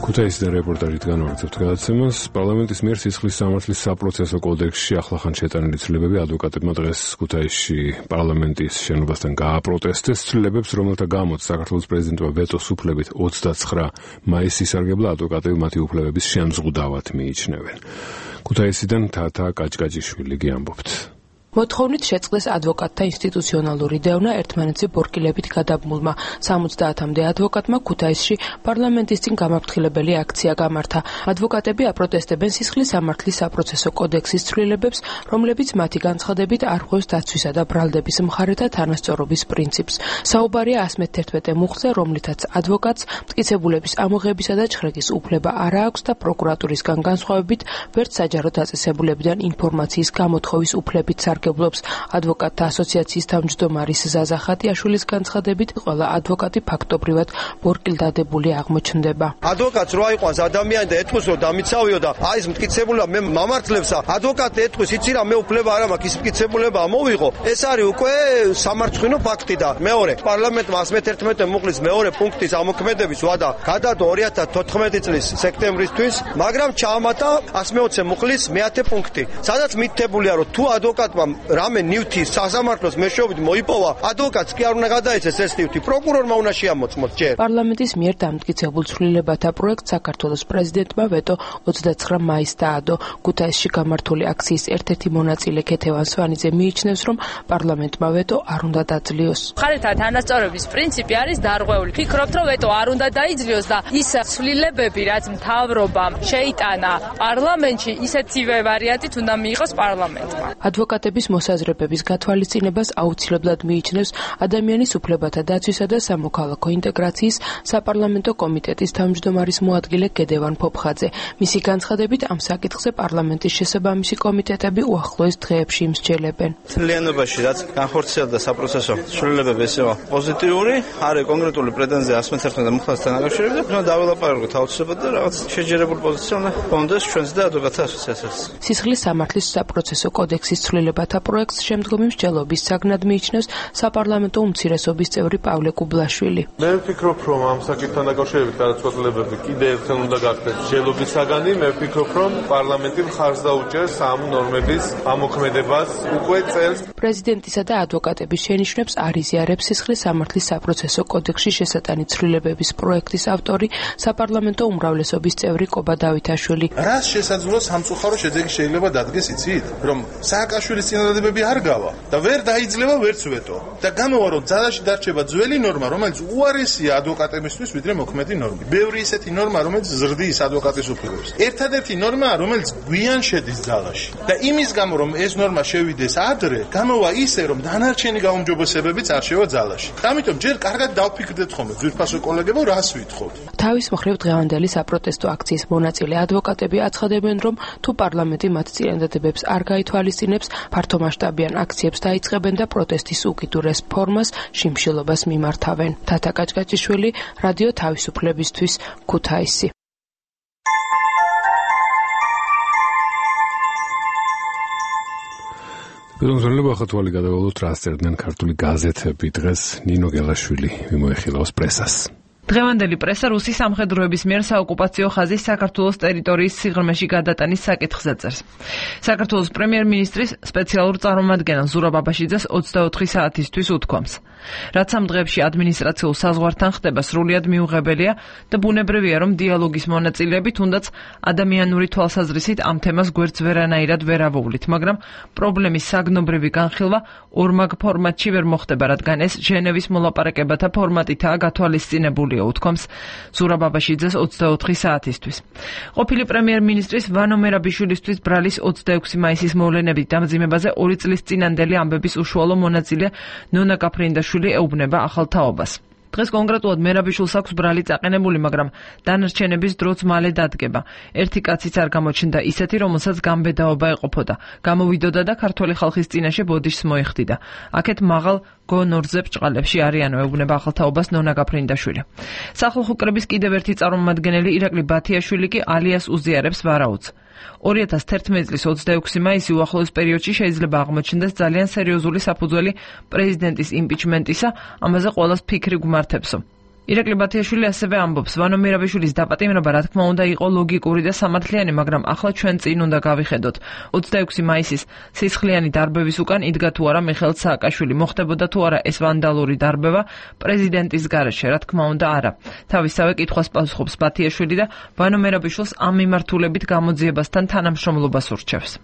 Speaker 3: ქუთაისიდან რეპორტაჟით განვაგრძობთ გადაცემას. პარლამენტის მიერ სისხლის სამართლის საპროცესო კოდექსში ახლახან შეტანილი ცვლილებები ადვოკატებმა დღეს ქუთაისში პარლამენტის შენობასთან გააპროტესტეს. ცვლილებებს, რომელთა გამოც საქართველოს პრეზიდენტმა ვეტოს უფლებით 29 მაისს ისარგებლა, ადვოკატები მათი უფლებების შემზღუდავად მიიჩნევენ. ქუთაისიდან თათა კაჭკაჭიშვილი გიამბობთ.
Speaker 14: მოთხოვნით შეწყდეს ადვოკატთა ინსტიტუციონალური დევნა ერთმანეთზე ბორკილებით გადაბმულმა. 70-მდე ადვოკატმა ქუთაისში პარლამენტის წინ გამაფრთხილებელი აქცია გამართა. ადვოკატები აპროტესტებენ სისხლის სამართლის საპროცესო კოდექსის ცვლილებებს, რომლებიც მათი განცხადებით არღვევს დაცვისა და ბრალდების მხარეთა თანასწორობის პრინციპს. საუბარია 111 მუხლზე, რომლითაც ადვოკატს მტკიცებულების ამოღებისა და ჩხრეკის უფლება არ აქვს და პროკურატურისგან განსხვავებით ვერც საჯარო დაწესებულებიდან ინფორმაციის გამოთხოვის უფლებით სარგებლობს. ადვოკატთა ასოციაციის თავმჯდომარის ზაზა ხატიაშვილის განცხადებით, ყველა ადვოკატი ფაქტობრივად ბორკილდადებული აღმოჩნდება.
Speaker 5: ადვოკატს რო აიყვანს ადამიანი და ეთქვის რომ დამიცავიო და აი ეს მტკიცებულება მე მამართლებსა, ადვოკატი ეთქვის იცი რა მე უფლება არ მაქვს, ის მტკიცებულება ამოვიღო. ეს არის უკვე სამარცხვინო ფაქტი და მეორე პარლამენტმა 111 მუხლის მეორე პუნქტის ამოქმედების ვადა გადადო 2014 წლის სექტემბრისთვის, მაგრამ ჩაამატა 120 მუხლის მე-10 პუნქტი, სადაც მითითებულია რომ თუ ადვოკატმა რამე ნივთი სასამართლოს მეშვეობით მოიპოვა, ადვოკატს კი არ უნდა გადაეცეს ეს ნივთი, პროკურორმა უნდა შეამოწმოს ჯერ.
Speaker 14: პარლამენტის მიერ დამტკიცებულ ცვლილებათა პროექტს საქართველოს პრეზიდენტმა ვეტო 29 მაისს დაადო. ქუთაისში გამართული აქციის ერთ-ერთი მონაწილე ქეთევან სვანიძე მიიჩნევს, რომ პარლამენტმა ვეტო არ უნდა დაძლიოს.
Speaker 15: მხარეთა თანასწორობის პრინციპი არის დარღვეული. ფიქრობთ, რომ ვეტო არ უნდა დაიძლიოს და ის ცვლილებები, რაც მთავრობამ შეიტანა პარლამენტში, ისეთივე ვარიანტით უნდა მიიღოს პარლამენტმა.
Speaker 14: ადვოკატების მოსაზრებების გათვალისწინებას აუცილებლად მიიჩნევს ადამიანის უფლებათა დაცვისა და სამოქალაქო ინტეგრაციის საპარლამენტო კომიტეტის თავმჯდომარის მოადგილე გედევან ფოფხაძე. მისი განცხადებით, ამ საკითხზე პარლამენტის შესაბამისი კომიტეტები უახლოეს დღეებში იმსჯელებენ.
Speaker 16: მთლიანობაში რაც განხორციელდა საპროცესო ცვლილებები ესევა პოზიტიური, არის კონკრეტული პრეტენზია 111 მუხლასთან დაკავშირებით. ჩვენ დაველაპარაკოთ აუცილებლად და რაღაც შეჯერებული პოზიცია უნდა კონდეს ჩვენს და ადვოკატთა ასოციაციას.
Speaker 14: სისხლის სამართლის საპროცესო კოდექსის ცვლილება საბჭოთა პროექტს შემდგომი მსჯელობის საგნად მიიჩნევს საპარლამენტო უმცირესობის წევრი პავლე კუბლაშვილი.
Speaker 17: მე ვფიქრობ, რომ ამ საკითხთან დაკავშირებით გადაწყვეტილებები კიდევ ერთხელ უნდა გახდეს მსჯელობის საგანი. მე ვფიქრობ, რომ პარლამენტი მხარს დაუჭერს ამ ნორმების ამოქმედებას უკვე წელს.
Speaker 14: პრეზიდენტისა და ადვოკატების შენიშვნებს არ იზიარებს სისხლის სამართლის საპროცესო კოდექსში შესატანი ცვლილებების პროექტის ავტორი საპარლამენტო უმრავლესობის წევრი კობა დავითაშვილი.
Speaker 18: რას შესაძლოა სამწუხარო შედეგი შეიძლება დადგეს იცით, რომ სააკაშვილის წინადადებები არ გავა და ვერ დაიძლევა ვერც ვეტო და გამოვა რომ ძალაში დარჩება ძველი ნორმა, რომელიც უარესია ადვოკატებისთვის ვიდრე მოქმედი ნორმა. ბევრი ისეთი ნორმა, რომელიც ზრდის ადვოკატის უფლებებს. ერთადერთი ნორმა, რომელიც გვიან შედის ძალაში და იმის გამო რომ ეს ნორმა შევიდეს ადრე, გამოვა ისე რომ დანარჩენი გაუმჯობესებებიც არ შევა ძალაში. ამიტომ ჯერ კარგად დავფიქრდეთ ხოლმე ძვირფასო კოლეგებო, რას ვითხოვთ.
Speaker 14: თავის მხრივ დღევანდელი საპროტესტო აქციის მონაწილე ადვოკატები აცხადებენ, რომ თუ პარლამენტი მათ წინადადებებს არ გაითვალისწინებს, ფართომასშტაბიან აქციებს დაიწყებენ და პროტესტის უკიდურეს ფორმას შიმშილობას მიმართავენ. თათა კაჭკაჭიშვილი, რადიო თავისუფლებისთვის, ქუთაისი.
Speaker 1: ბედნიერება ხათვალი გადავალოთ რა წერდნენ ქართული გაზეთები დღეს ნინო გელაშვილი მიმოეხილავს პრესას.
Speaker 19: დღევანდელი პრესა რუსი სამხედროების მიერ საოკუპაციო ხაზის საქართველოს ტერიტორიის სიღრმეში გადატანის საკითხზე წერს. საქართველოს პრემიერ-მინისტრის სპეციალურ წარმომადგენელს ზურაბ აბაშიძეს 24 საათისთვის უთქვამს. რაც ამ დღეებში ადმინისტრაციულ საზღვართან ხდება სრულიად მიუღებელია და ბუნებრივია, რომ დიალოგის მონაწილეები თუნდაც ადამიანური თვალსაზრისით ამ თემას გვერდს ვერანაირად ვერ ავუვლით, მაგრამ პრობლემის საგნობრივი განხილვა ორმაგ ფორმატში ვერ მოხდება, რადგან ეს ჟენევის მოლაპარაკებათა ფორმატითაა გათვალისწინებული. უთქვამს ზურაბ აბაშიძეს 24 საათისთვის. ყოფილი პრემიერ-მინისტრის ვანო მერაბიშვილისთვის ბრალის 26 მაისის მოვლენების დამძიმებაზე 2 წლის წინანდელი ამბების უშუალო მონაწილე ნონა კაფრინდაშვილი ეუბნება ახალ თაობას. დღეს კონკრეტულად მერაბიშვილს აქვს ბრალი წაყენებული, მაგრამ დანარჩენების დროც მალე დადგება. ერთი კაციც არ გამოჩნდა ისეთი, რომელსაც გამბედაობა ეყოფოდა. გამოვიდოდა და ქართველი ხალხის წინაშე ბოდიშს მოიხდიდა. აქეთ მაღალ გონორზე ბრჭყალებში არიანო, ეუბნება ახალ თაობას ნონა კაფრინდაშვილი. სახალხო კრების კიდევ ერთი წარმომადგენელი ირაკლი ბათიაშვილი კი ალიას უზიარებს ვარაუდს. 2011 წლის 26 მაისი უახლოეს პერიოდში შეიძლება აღმოჩნდეს ძალიან სერიოზული საფუძველი პრეზიდენტის იმპიჩმენტისა, ამაზე ყველას ფიქრი გვმართებსო. ირაკლი ბათიაშვილი ასევე ამბობს, ვანო მერაბიშვილის დაპატიმრება რა თქმა უნდა იყო ლოგიკური და სამართლიანი, მაგრამ ახლა ჩვენ წინ უნდა გავიხედოთ. 26 მაისის სისხლიანი დარბევის უკან იდგა თუ არა მიხეილ სააკაშვილი, მოხდებოდა თუ არა ეს ვანდალური დარბევა პრეზიდენტის გარეშე, რა თქმა უნდა არა. თავისავე კითხვას პასუხობს ბათიაშვილი და ვანო მერაბიშვილს ამ მიმართულებით გამოძიებასთან თანამშრომლობას ურჩევს.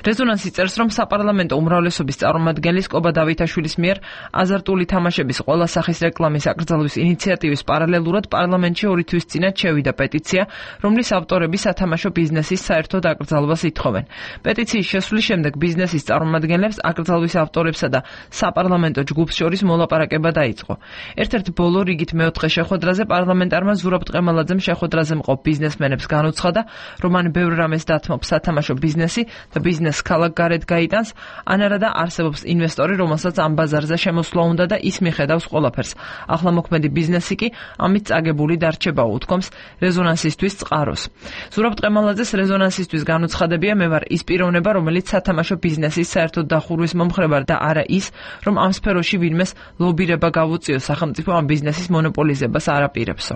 Speaker 19: რეზონანსი წერს, რომ საპარლამენტო უმრავლესობის წარმომადგენლის კობა დავითაშვილის მიერ აზარტული თამაშების ყველა სახის რეკლამის აკრძალვის ინიციატივის პარალელურად პარლამენტში 2 თვის წინათ შევიდა პეტიცია, რომლის ავტორები სათამაშო ბიზნესის საერთოდ აკრძალვას ითხოვენ. პეტიციის შესვლის შემდეგ ბიზნესის წარმომადგენლებს, აკრძალვის ავტორებსა და საპარლამენტო ჯგუფს შორის მოლაპარაკება დაიწყო. ერთ-ერთ ბოლო რიგით მეოთხე შეხვედრაზე პარლამენტარმა ზურაბ ტყემალაძემ შეხვედრაზე მყოფ ბიზნესმენებს განუცხადა, რომ ან ბევრ რამეს დათმობს სათამაშო ბიზნესი და ბიზნესს ქალაქ გარეთ გაიტანს, ან არა და არსებობს ინვესტორი, რომელსაც ამ ბაზარზე შემოსვლა უნდა და ის მიხედავს ყველაფერს. ახლა მოქმედი ბიზნესი კი ამით წაგებული დარჩებაო, უთქვამს რეზონანსისთვის წყაროს. ზურაბ ტყემალაძეს რეზონანსისთვის განუცხადებია, მე ვარ ის პიროვნება, რომელიც სათამაშო ბიზნესის საერთოდ დახურვის მომხრე და არა ის, რომ ამ სფეროში ვინმეს ლობირება გავუწიო, სახელმწიფო ამ ბიზნესის მონოპოლიზებას არ აპირებსო.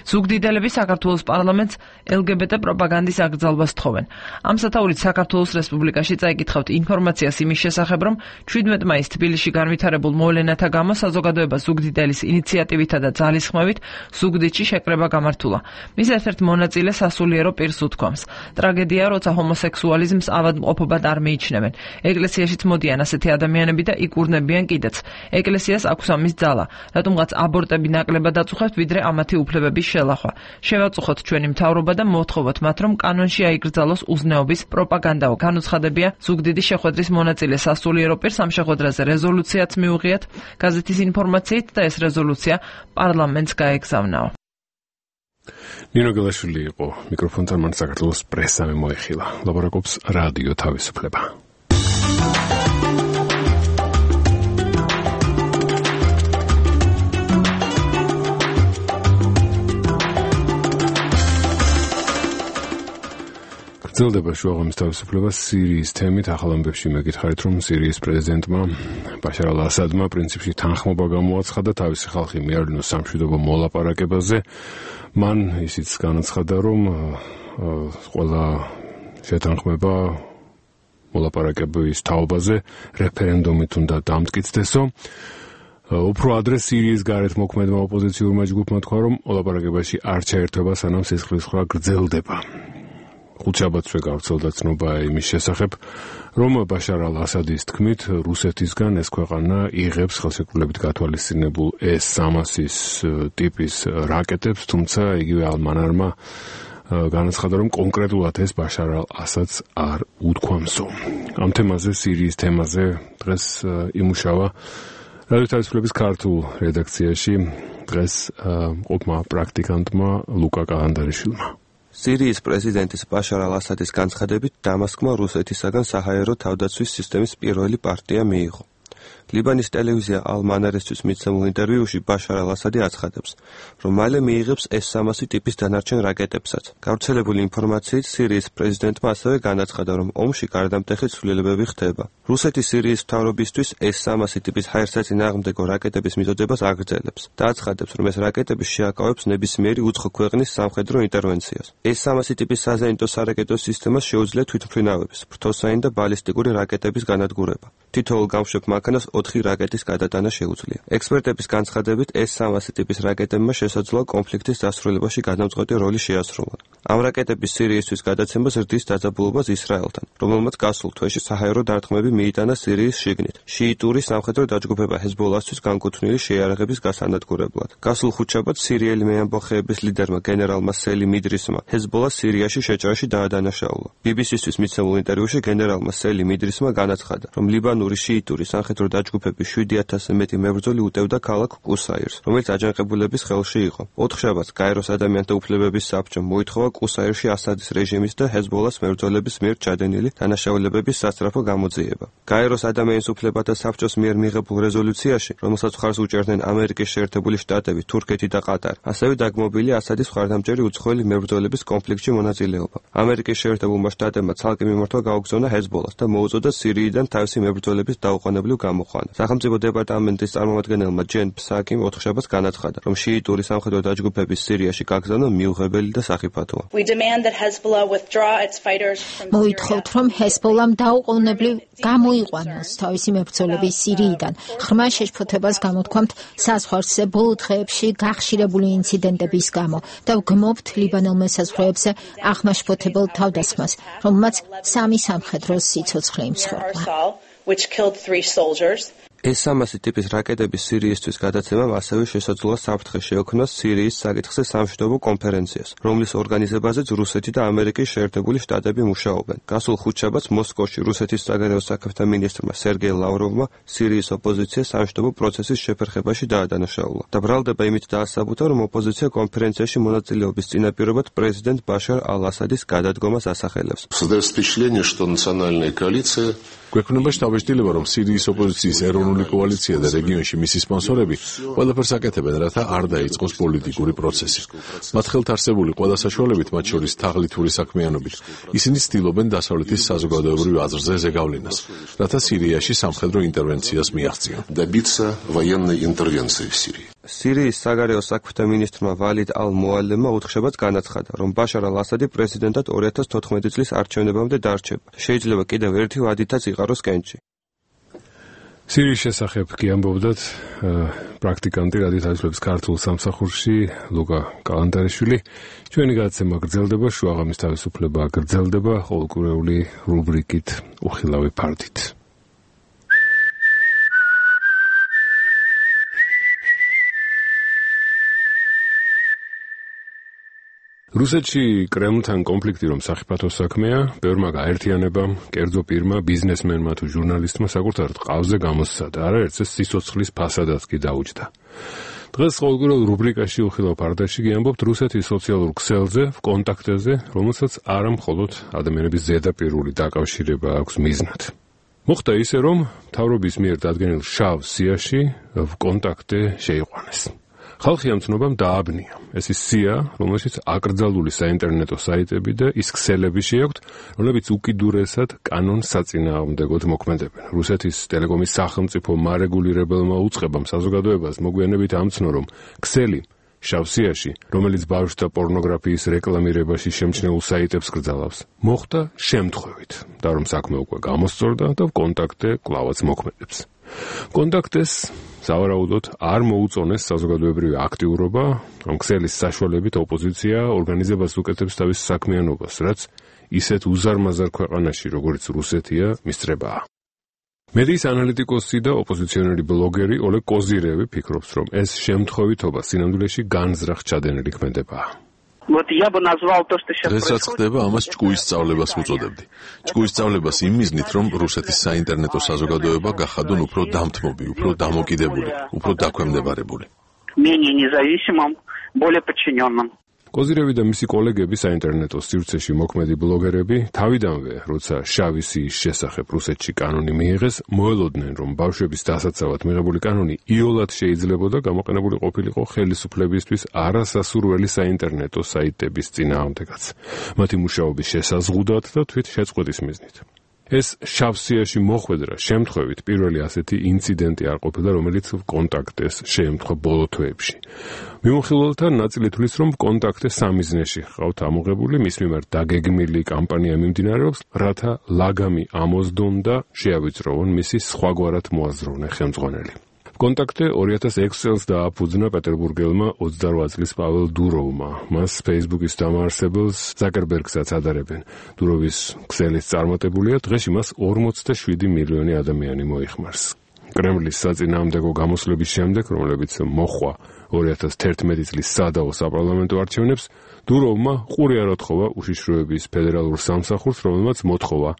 Speaker 19: ზუგდიდელები საქართველოს პარლამენტს LGBT პროპაგანდის აკრძალვას თხოვენ. ამ სათაურით საქართველოს რესპუბლიკაში წაიკითხავთ ინფორმაციას იმის შესახებ, რომ 17 მაისს თბილისში განვითარებულ მოვლენათა გამო საზოგადოება ზუგდიდელის ინიციატივითა და ძალისხმევით ზუგდიდში შეკრება გამართულა. მის ერთ-ერთ მონაწილე სასულიერო პირს უთქვამს. ტრაგედია, როცა ჰომოსექსუალიზმს ავადმყოფობად არ მიიჩნევენ. ეკლესიაშიც მოდიან ასეთი ადამიანები და იკურნებიან კიდეც. ეკლესიას აქვს ამის ძალა, რატომღაც აბორტები ნაკლებად აწუხებთ, ვიდრე ამათი უფლებების შელახვა. შევაწუხოთ ჩვენი მთავრობა და მოვთხოვოთ მათ, რომ კანონში აიკრძალოს უზნეობის პროპაგანდაო. განუცხადებია ზუგდიდის შეხვედრის მონაწილე სასულიერო პირს. ამ შეხვედრაზე რეზოლუციაც მიუღიათ გაზეთის ინფორმაციით და ეს რეზოლუცია პარლამენტს გაეგზავნაო.
Speaker 1: ნინო გელაშვილი იყო მიკროფონთან, მან საქართველოს პრესამ მოეხილა. ლაპარაკობს რადიო თავისუფლება. გრძელდება შუაღამის თავისუფლება სირიის თემით. ახალ ამბებში მეკითხარით, რომ სირიის პრეზიდენტმა ბაშარ ალ-ასადმა პრინციპში თანხმობა გამოაცხადა თავისი ხალხი მიავლინოს სამშვიდობო მოლაპარაკებაზე. მან ისიც განაცხადა, რომ ყველა შეთანხმება მოლაპარაკების თაობაზე რეფერენდუმით უნდა დამტკიცდესო. უფრო ადრე სირიის გარეთ მოქმედმა ოპოზიციურმა ჯგუფმა თქვა, რომ მოლაპარაკებაში არ ჩაერთვება, სანამ სისხლისღვრა გრძელდება. ხუთშაბათსვე გავრცელდა ცნობა იმის შესახებ, რომ ბაშარ ალ-ასადის თქმით, რუსეთისგან ეს ქვეყანა იღებს ხელშეკრულებით გათვალისწინებულ S-300-ის ტიპის რაკეტებს, თუმცა იგივე ალ-მანარმა განაცხადა, რომ კონკრეტულად ეს ბაშარ ალ-ასადს არ უთქვამსო. ამ თემაზე, სირიის თემაზე დღეს იმუშავა რადიო თავისუფლების ქართულ რედაქციაში დღეს ყოფმა პრაქტიკანტმა ლუკა კალანდარიშვილმა.
Speaker 20: სირიის პრეზიდენტის ბაშარ ალ-ასადის განცხადებით დამასკმა რუსეთისაგან საჰაერო თავდაცვის სისტემის პირველი პარტია მიიღო. ლიბანის ტელევიზია ალ-მანარისთვის მიცემულ ინტერვიუში ბაშარ ალ-ასადი აცხადებს, რომ მალე მიიღებს S-300 ტიპის დანარჩენ რაკეტებსაც. გავრცელებული ინფორმაციით სირიის პრეზიდენტმა ასევე განაცხადა, რომ ომში გარდამტეხი ცვლილებები ხდება. რუსეთი სირიის მთავრობისთვის S-300 ტიპის ჰაერსაწინააღმდეგო რაკეტების მიწოდებას აგრძელებს და აცხადებს, რომ ეს რაკეტები შეაკავებს ნებისმიერი უცხო ქვეყნის სამხედრო ინტერვენციას. S-300 ტიპის საზეიმტო სარაკეტო სისტემას შეუძლია თვითმფრინავების, ფრთოსანი და ბალისტიკური რაკეტების განადგურება. თითოეულ გამშვებ მანქანას 4 რაკეტის გადატანა შეუძლია. ექსპერტების განცხადებით S-300 ტიპის რაკეტებმა შესაძლოა კონფლიქტის დასრულებაში გადამწყვეტი როლი შეასრულონ. ამ რაკეტების სირიისთვის გადაცემას ზრდის დაძაბულობას ისრაელთან, რომელმაც გასულ თვეში საჰაერო დარტყმები მიიტანა სირიის შიგნით. შიიტური სამხედრო დაჯგუფება ჰეზბოლასთვის განკუთვნილი შეიარაღების გასანადგურებლად. გასულ ხუთშაბათს სირიელი მეამბოხეების ლიდერმა გენერალმა სელიმ იდრისმა ჰეზბოლას სირიაში შეჭრაში დაადანაშაულა. BBC-თვის მიცემულ ინტერვიუში გენერალმა სელიმ იდრისმა განაცხადა, რომ ლიბანური შიიტური სამხედრო დაჯგუფების 7000-ზე მეტი მებრძოლი უტევდა ქალაქ კუსაირს, რომელიც აჯანყებულების ხელში იყო. 4 შაბათს გაეროს ადამიანთა უფლებების საბჭომ მოითხოვა კუსაირში ასადის რეჟიმის და ჰეზბოლას მებრძოლების მიერ ჩადენილი დანაშაულებების სასწრაფო გამოძიება. გაეროს ადამიანის უფლებათა საბჭოს მიერ მიღებულ რეზოლუციაში, რომელსაც მხარს უჭერდნენ ამერიკის შეერთებული შტატები, თურქეთი და ყატარი, ასევე დაგმობილია ასადის მხარდამჭერი უცხოელი მებრძოლების კონფლიქტში მონაწილეობა. ამერიკის შეერთებულმა შტატებმა ცალკე მიმართვა გაუგზავნა ჰეზბოლას და მოუწოდა სირიიდან თავისი მებრძოლების დაუყოვნებლივ გამოყვანა. სახელმწიფო დეპარტამენტის წარმომადგენელმა ჯენ ფსაკიმ 4 შაბათს განაცხადა, რომ შიიტური სამხედრო დაჯგუფების სირიაში გაგზავნა მიუღებელი და სახიფათოა.
Speaker 21: მოითხოვთ, რომ ჰეზბოლამ დაუყოვნებლივ გამოიყვანოს თავისი მებრძოლები სირიიდან. ღრმა შეშფოთებას გამოთქვამთ საზღვარზე ბოლო დღეებში გახშირებული ინციდენტების გამო და ვგმობთ ლიბანელ მესაზღვრეებზე აღმაშფოთებელ თავდასხმას, რომელმაც 3 სამხედრო სიცოცხლე იმსხვერპლა.
Speaker 20: S-300 ტიპის რაკეტების სირიისთვის გადაცემამ ასევე შესაძლოა საფრთხე შეექმნას სირიის საკითხზე სამშვიდობო კონფერენციას, რომლის ორგანიზებაზეც რუსეთი და ამერიკის შეერთებული შტატები მუშაობენ. გასულ ხუთშაბათს მოსკოვში რუსეთის საგარეო საქმეთა მინისტრმა სერგეი ლავროვმა სირიის ოპოზიციას სამშვიდობო პროცესის შეფერხებაში დაადანაშაულა. და ბრალდება იმით დაასაბუთა, რომ ოპოზიცია კონფერენციაში მონაწილეობის წინაპირობად პრეზიდენტ ბაშარ ალ-ასადის გადადგომას ასახელებს.
Speaker 22: გვექნება შთაბეჭდილება, რომ სირიის ოპოზიციის ეროვნული კოალიცია და რეგიონში მისი სპონსორები ყველაფერს აკეთებენ, რათა არ დაიწყოს პოლიტიკური პროცესი. მათ ხელთ არსებული ყველა საშუალებით, მათ შორის თაღლითური საქმიანობით, ისინი ცდილობენ დასავლეთის საზოგადოებრივ აზრზე ზეგავლენას, რათა სირიაში სამხედრო ინტერვენციას მიაღწიონ.
Speaker 20: სირიის საგარეო საქმეთა მინისტრმა ვალიდ ალ-მუალემმა 4 შაბათს განაცხადა, რომ ბაშარ ალ-ასადი პრეზიდენტად 2014 წლის არჩევნებამდე დარჩება. შეიძლება კიდევ ერთი ვადითაც იყაროს კენჭი.
Speaker 1: სირიის შესახებ კი ამბობდათ პრაქტიკანტი რადიო თავისუფლების ქართულ სამსახურში ლუკა კალანდარიშვილი. ჩვენი გადაცემა გრძელდება, შუაღამის თავისუფლება გრძელდება ყოველკვირეული რუბრიკით უხილავი ფარდით. რუსეთში კრემლთან კონფლიქტი რომ სახიფათო საქმეა, ბევრმა გაერთიანებამ, კერძო პირმა, ბიზნესმენმა თუ ჟურნალისტმა საკუთარ ყავზე გამოსცადა, არაერთს სიცოცხლის ფასადაც კი დაუჯდა. დღეს ყოველკვირეულ რუბრიკაში უხილავ ფარდაში გიამბობთ რუსეთის სოციალურ ქსელზე, კონტაქტებზე, რომელსაც არა მხოლოდ ადამიანების ზედაპირული დაკავშირება აქვს მიზნად. მოხდა ისე, რომ მთავრობის მიერ დადგენილ შავ სიაში კონტაქტე შეიყვანეს. ხალხი ამ ცნობამ დააბნია. ეს ის სია, რომელშიც აკრძალული საინტერნეტო საიტები და ის ქსელები შეაქვთ, რომლებიც უკიდურესად კანონს საწინააღმდეგოდ მოქმედებენ. რუსეთის ტელეკომის სახელმწიფო მარეგულირებელმა უწყებამ საზოგადოებას მოგვიანებით ამცნო, რომ ქსელი შავსიაში, რომელიც ბავშვთა პორნოგრაფიის რეკლამირებაში შემჩნეულ საიტებს კრძალავს, მოხდა შემთხვევით და რომ საქმე უკვე გამოსწორდა და კონტაქტე კვლავაც მოქმედებს. კონტაქტეს სავარაუდოდ არ მოუწონეს საზოგადოებრივი აქტიურობა, ამ ქსელის საშუალებით ოპოზიცია ორგანიზებას უკეთებს თავის საქმიანობას, რაც ისეთ უზარმაზარ ქვეყანაში, როგორც რუსეთია, მისწრებაა. მედიის ანალიტიკოსი და ოპოზიციონერი ბლოგერი ოლეგ კოზირევი ფიქრობს, რომ ეს შემთხვევითობა სინამდვილეში განზრახ ჩადენილი ქმედებაა.
Speaker 22: დღეს რაც ხდება, ამას ჭკუის სწავლებას ვუწოდებდი. ჭკუის სწავლებას იმ მიზნით, რომ რუსეთის საინტერნეტო საზოგადოება გახადონ უფრო დამთმობი, უფრო დამოკიდებული, უფრო დაქვემდებარებული. კოზირევი და მისი კოლეგები საინტერნეტო სივრცეში მოქმედი ბლოგერები თავიდანვე, როცა შავი სიის შესახებ რუსეთში კანონი მიიღეს, მოელოდნენ, რომ ბავშვების დასაცავად მიღებული კანონი იოლად შეიძლებოდა გამოყენებული ყოფილიყო ხელისუფლებისთვის არასასურველი საინტერნეტო საიტების წინააღმდეგაც, მათი მუშაობის შესაზღუდად და თვით შეწყვეტის მიზნით. ეს შავსიაში მოხვედრა შემთხვევით პირველი ასეთი ინციდენტი არ ყოფილა, რომელიც კონტაქტეს შეემთხვა ბოლო თვეებში. მიმოხილველთა ნაწილი თვლის, რომ კონტაქტე სამიზნეში ჰყავთ ამოღებული, მის მიმართ დაგეგმილი კამპანია მიმდინარეობს, რათა ლაგამი ამოздონ და შეავიწროვონ მისი სხვაგვარად მოაზროვნე ხელმძღვანელი. კონტაქტე 2006 წელს დააფუძნა პეტერბურგელმა 28 წლის პაվել დუროვმა. მას Facebook-ის დამაარსებელს ზაკერბერგსაც ადარებენ. დუროვის ქსელის წარმატებულია, დღეში მას 47 მილიონი ადამიანი მოიხმარს. კრემლის საწინააღმდეგო გამოსვლების შემდეგ, რომლებიც მოხვა 2011 წლის სადაო საპარლამენტო არჩევნებს, დუროვმა ყური არ უთხოვა უშიშროების ფედერალურ სამსახურს, რომელმაც მოთხოვა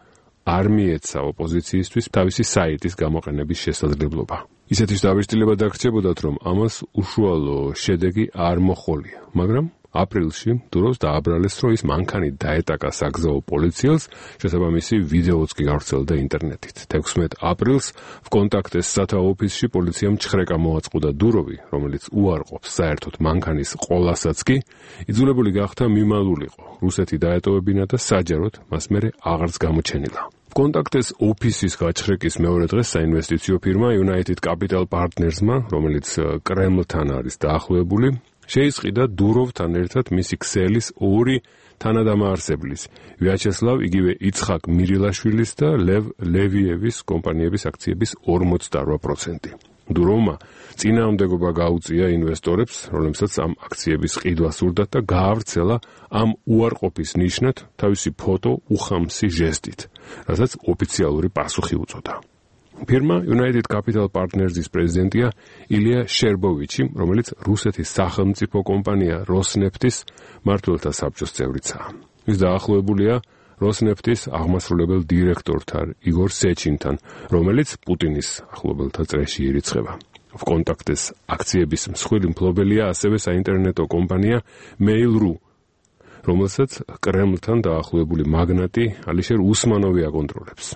Speaker 22: არ მიეცა ოპოზიციისთვის თავისი საიტის გამოყენების შესაძლებლობა. ისეთის დაბეჭდილება დაგრჩებოდათ, რომ ამას უშუალო შედეგი არ მოჰყოლია, მაგრამ აპრილში დუროვს დააბრალეს, რომ ის მანქანით დაეტაკა საგზაო პოლიციელს, შესაბამისი ვიდეოც კი გავრცელდა ინტერნეტით. 16 აპრილს ვკონტაქტეს სათაო ოფისში პოლიციამ ჩხრეკა მოაწყუდა დუროვი, რომელიც უარყოფს საერთოდ მანქანის ყოლასაც კი, იძულებული გახდა მიმალულიყო. რუსეთი დაეტოვებინა და საჯაროდ მას მერე აღარც გამოჩენილა. კონტაქტეს ოფისის გაჩხრეკის მეორე დღეს საინვესტიციო ფირმა United Capital Partners-მა, რომელიც კრემლთან არის დაახლოებული, შეისყიდა დუროვთან ერთად მისი ქსელის ორი თანადამაარსებლის, ვიაჩესლავ იგივე იცხაკ მირილაშვილის და ლევ ლევიევის კომპანიების აქციების 48%. დუროვმა წინააღმდეგობა გაუწია ინვესტორებს, რომლებსაც ამ აქციების ყიდვა სურდათ და გაავრცელა ამ უარყოფის ნიშნად თავისი ფოტო უხამსი ჟესტით, რასაც ოფიციალური პასუხი უწოდა. ფირმა United Capital Partners-ის პრეზიდენტია ილია შერბოვიჩი, რომელიც რუსეთის სახელმწიფო კომპანია როსნეფტის მმართველთა საბჭოს წევრიცაა. ის დაახლოებულია როსნეფტის აღმასრულებელ დირექტორთან იგორ სეჩინთან, რომელიც პუტინის ახლობელთა წრეში ირიცხება. ვკონტაქტეს აქციების მსხვილი მფლობელია ასევე საინტერნეტო კომპანია Mail.ru, რომელსაც კრემლთან დაახლოებული მაგნატი ალიშერ უსმანოვი აკონტროლებს.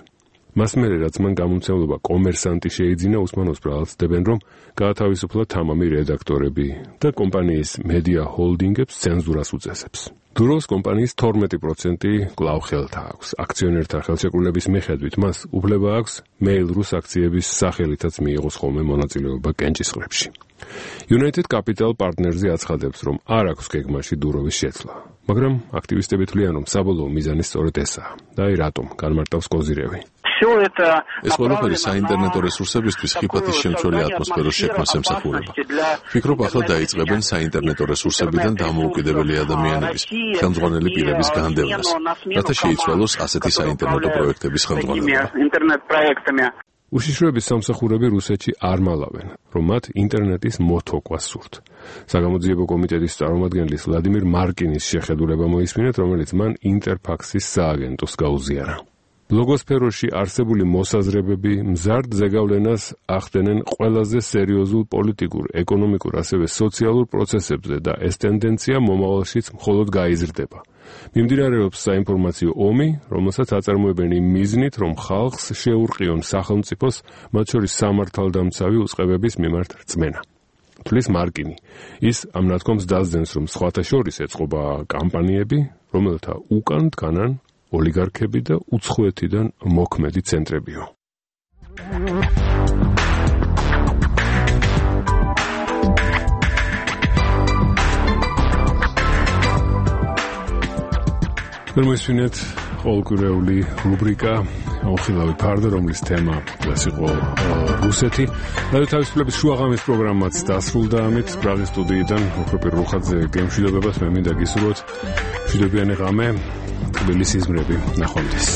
Speaker 22: მას მერე, რაც მან გამომცემლობა კომერსანტი შეიძინა, უსმანოვს ბრალცდებენ, რომ გაათავისუფლა თამამი რედაქტორები და კომპანიის მედია ჰოლდინგებს ცენზურას უწესებს. დუროვს კომპანიის 12% კვლავ ხელთა აქვს. აქციონერთა ხელშეკრულების მიხედვით მას უფლება აქვს Mail.ru აქციების სახელითაც მიიღოს ხოლმე მონაწილეობა კენჭისყრებში. United Capital Partners-ი აცხადებს, რომ არ აქვს გეგმაში დუროვის შეცვლა, მაგრამ აქტივისტები თვლიან, რომ საბოლოო მიზანი სწორედ ესაა. და აი რატომ განმარტავს კოზირევი. ეს ყველაფერი საინტერნეტო რესურსებისთვის ხიფათის შემცველი ატმოსფეროს შექმნას ემსახურება. ვფიქრობ, ახლა დაიწყებენ საინტერნეტო რესურსებიდან დამოუკიდებელი ადამიანების, ხელმძღვანელი პირების განდევნას, რათა შეიცვალოს ასეთი საინტერნეტო პროექტების ხელმძღვანელობა.
Speaker 1: უშიშროების სამსახურები რუსეთში არ მალავენ, რომ მათ ინტერნეტის მოთოკვა სურთ. საგამოძიებო კომიტეტის წარმომადგენლის ვლადიმირ მარკინის შეხედულება მოისმინეთ, რომელიც მან ინტერფაქსის სააგენტოს გაუზიარა. ბლოგოსფეროში არსებული მოსაზრებები მზარდ ზეგავლენას ახდენენ ყველაზე სერიოზულ პოლიტიკურ, ეკონომიკურ, ასევე სოციალურ პროცესებზე და ეს ტენდენცია მომავალშიც მხოლოდ გაიზრდება. მიმდინარეობს საინფორმაციო ომი, რომელსაც აწარმოებენ იმ მიზნით, რომ ხალხს შეურყიონ სახელმწიფოს, მათ შორის სამართალდამცავი უწყებების მიმართ რწმენა. თulis მარკინი. ის ამ ნათქვამს დასძენს, რომ სხვათა შორის ეწყობა კამპანიები, რომელთა უკან დგანან ოლიგარქები და უცხოეთიდან მოქმედი ცენტრებიო. Permesvinet ყოველკვირეული რუბრიკა ოხილავი ფარდა, რომლის თემა იყო რუსეთი. რადიო თავისუფლების შუაღამის პროგრამაც დასრულდა ამით. პრაღის სტუდიიდან ოქროპირ რუხაძე გემშვიდობებას მე მინდა გისურვოთ მშვიდობიანი ღამე, თბილისის მზრები, ნახვამდის.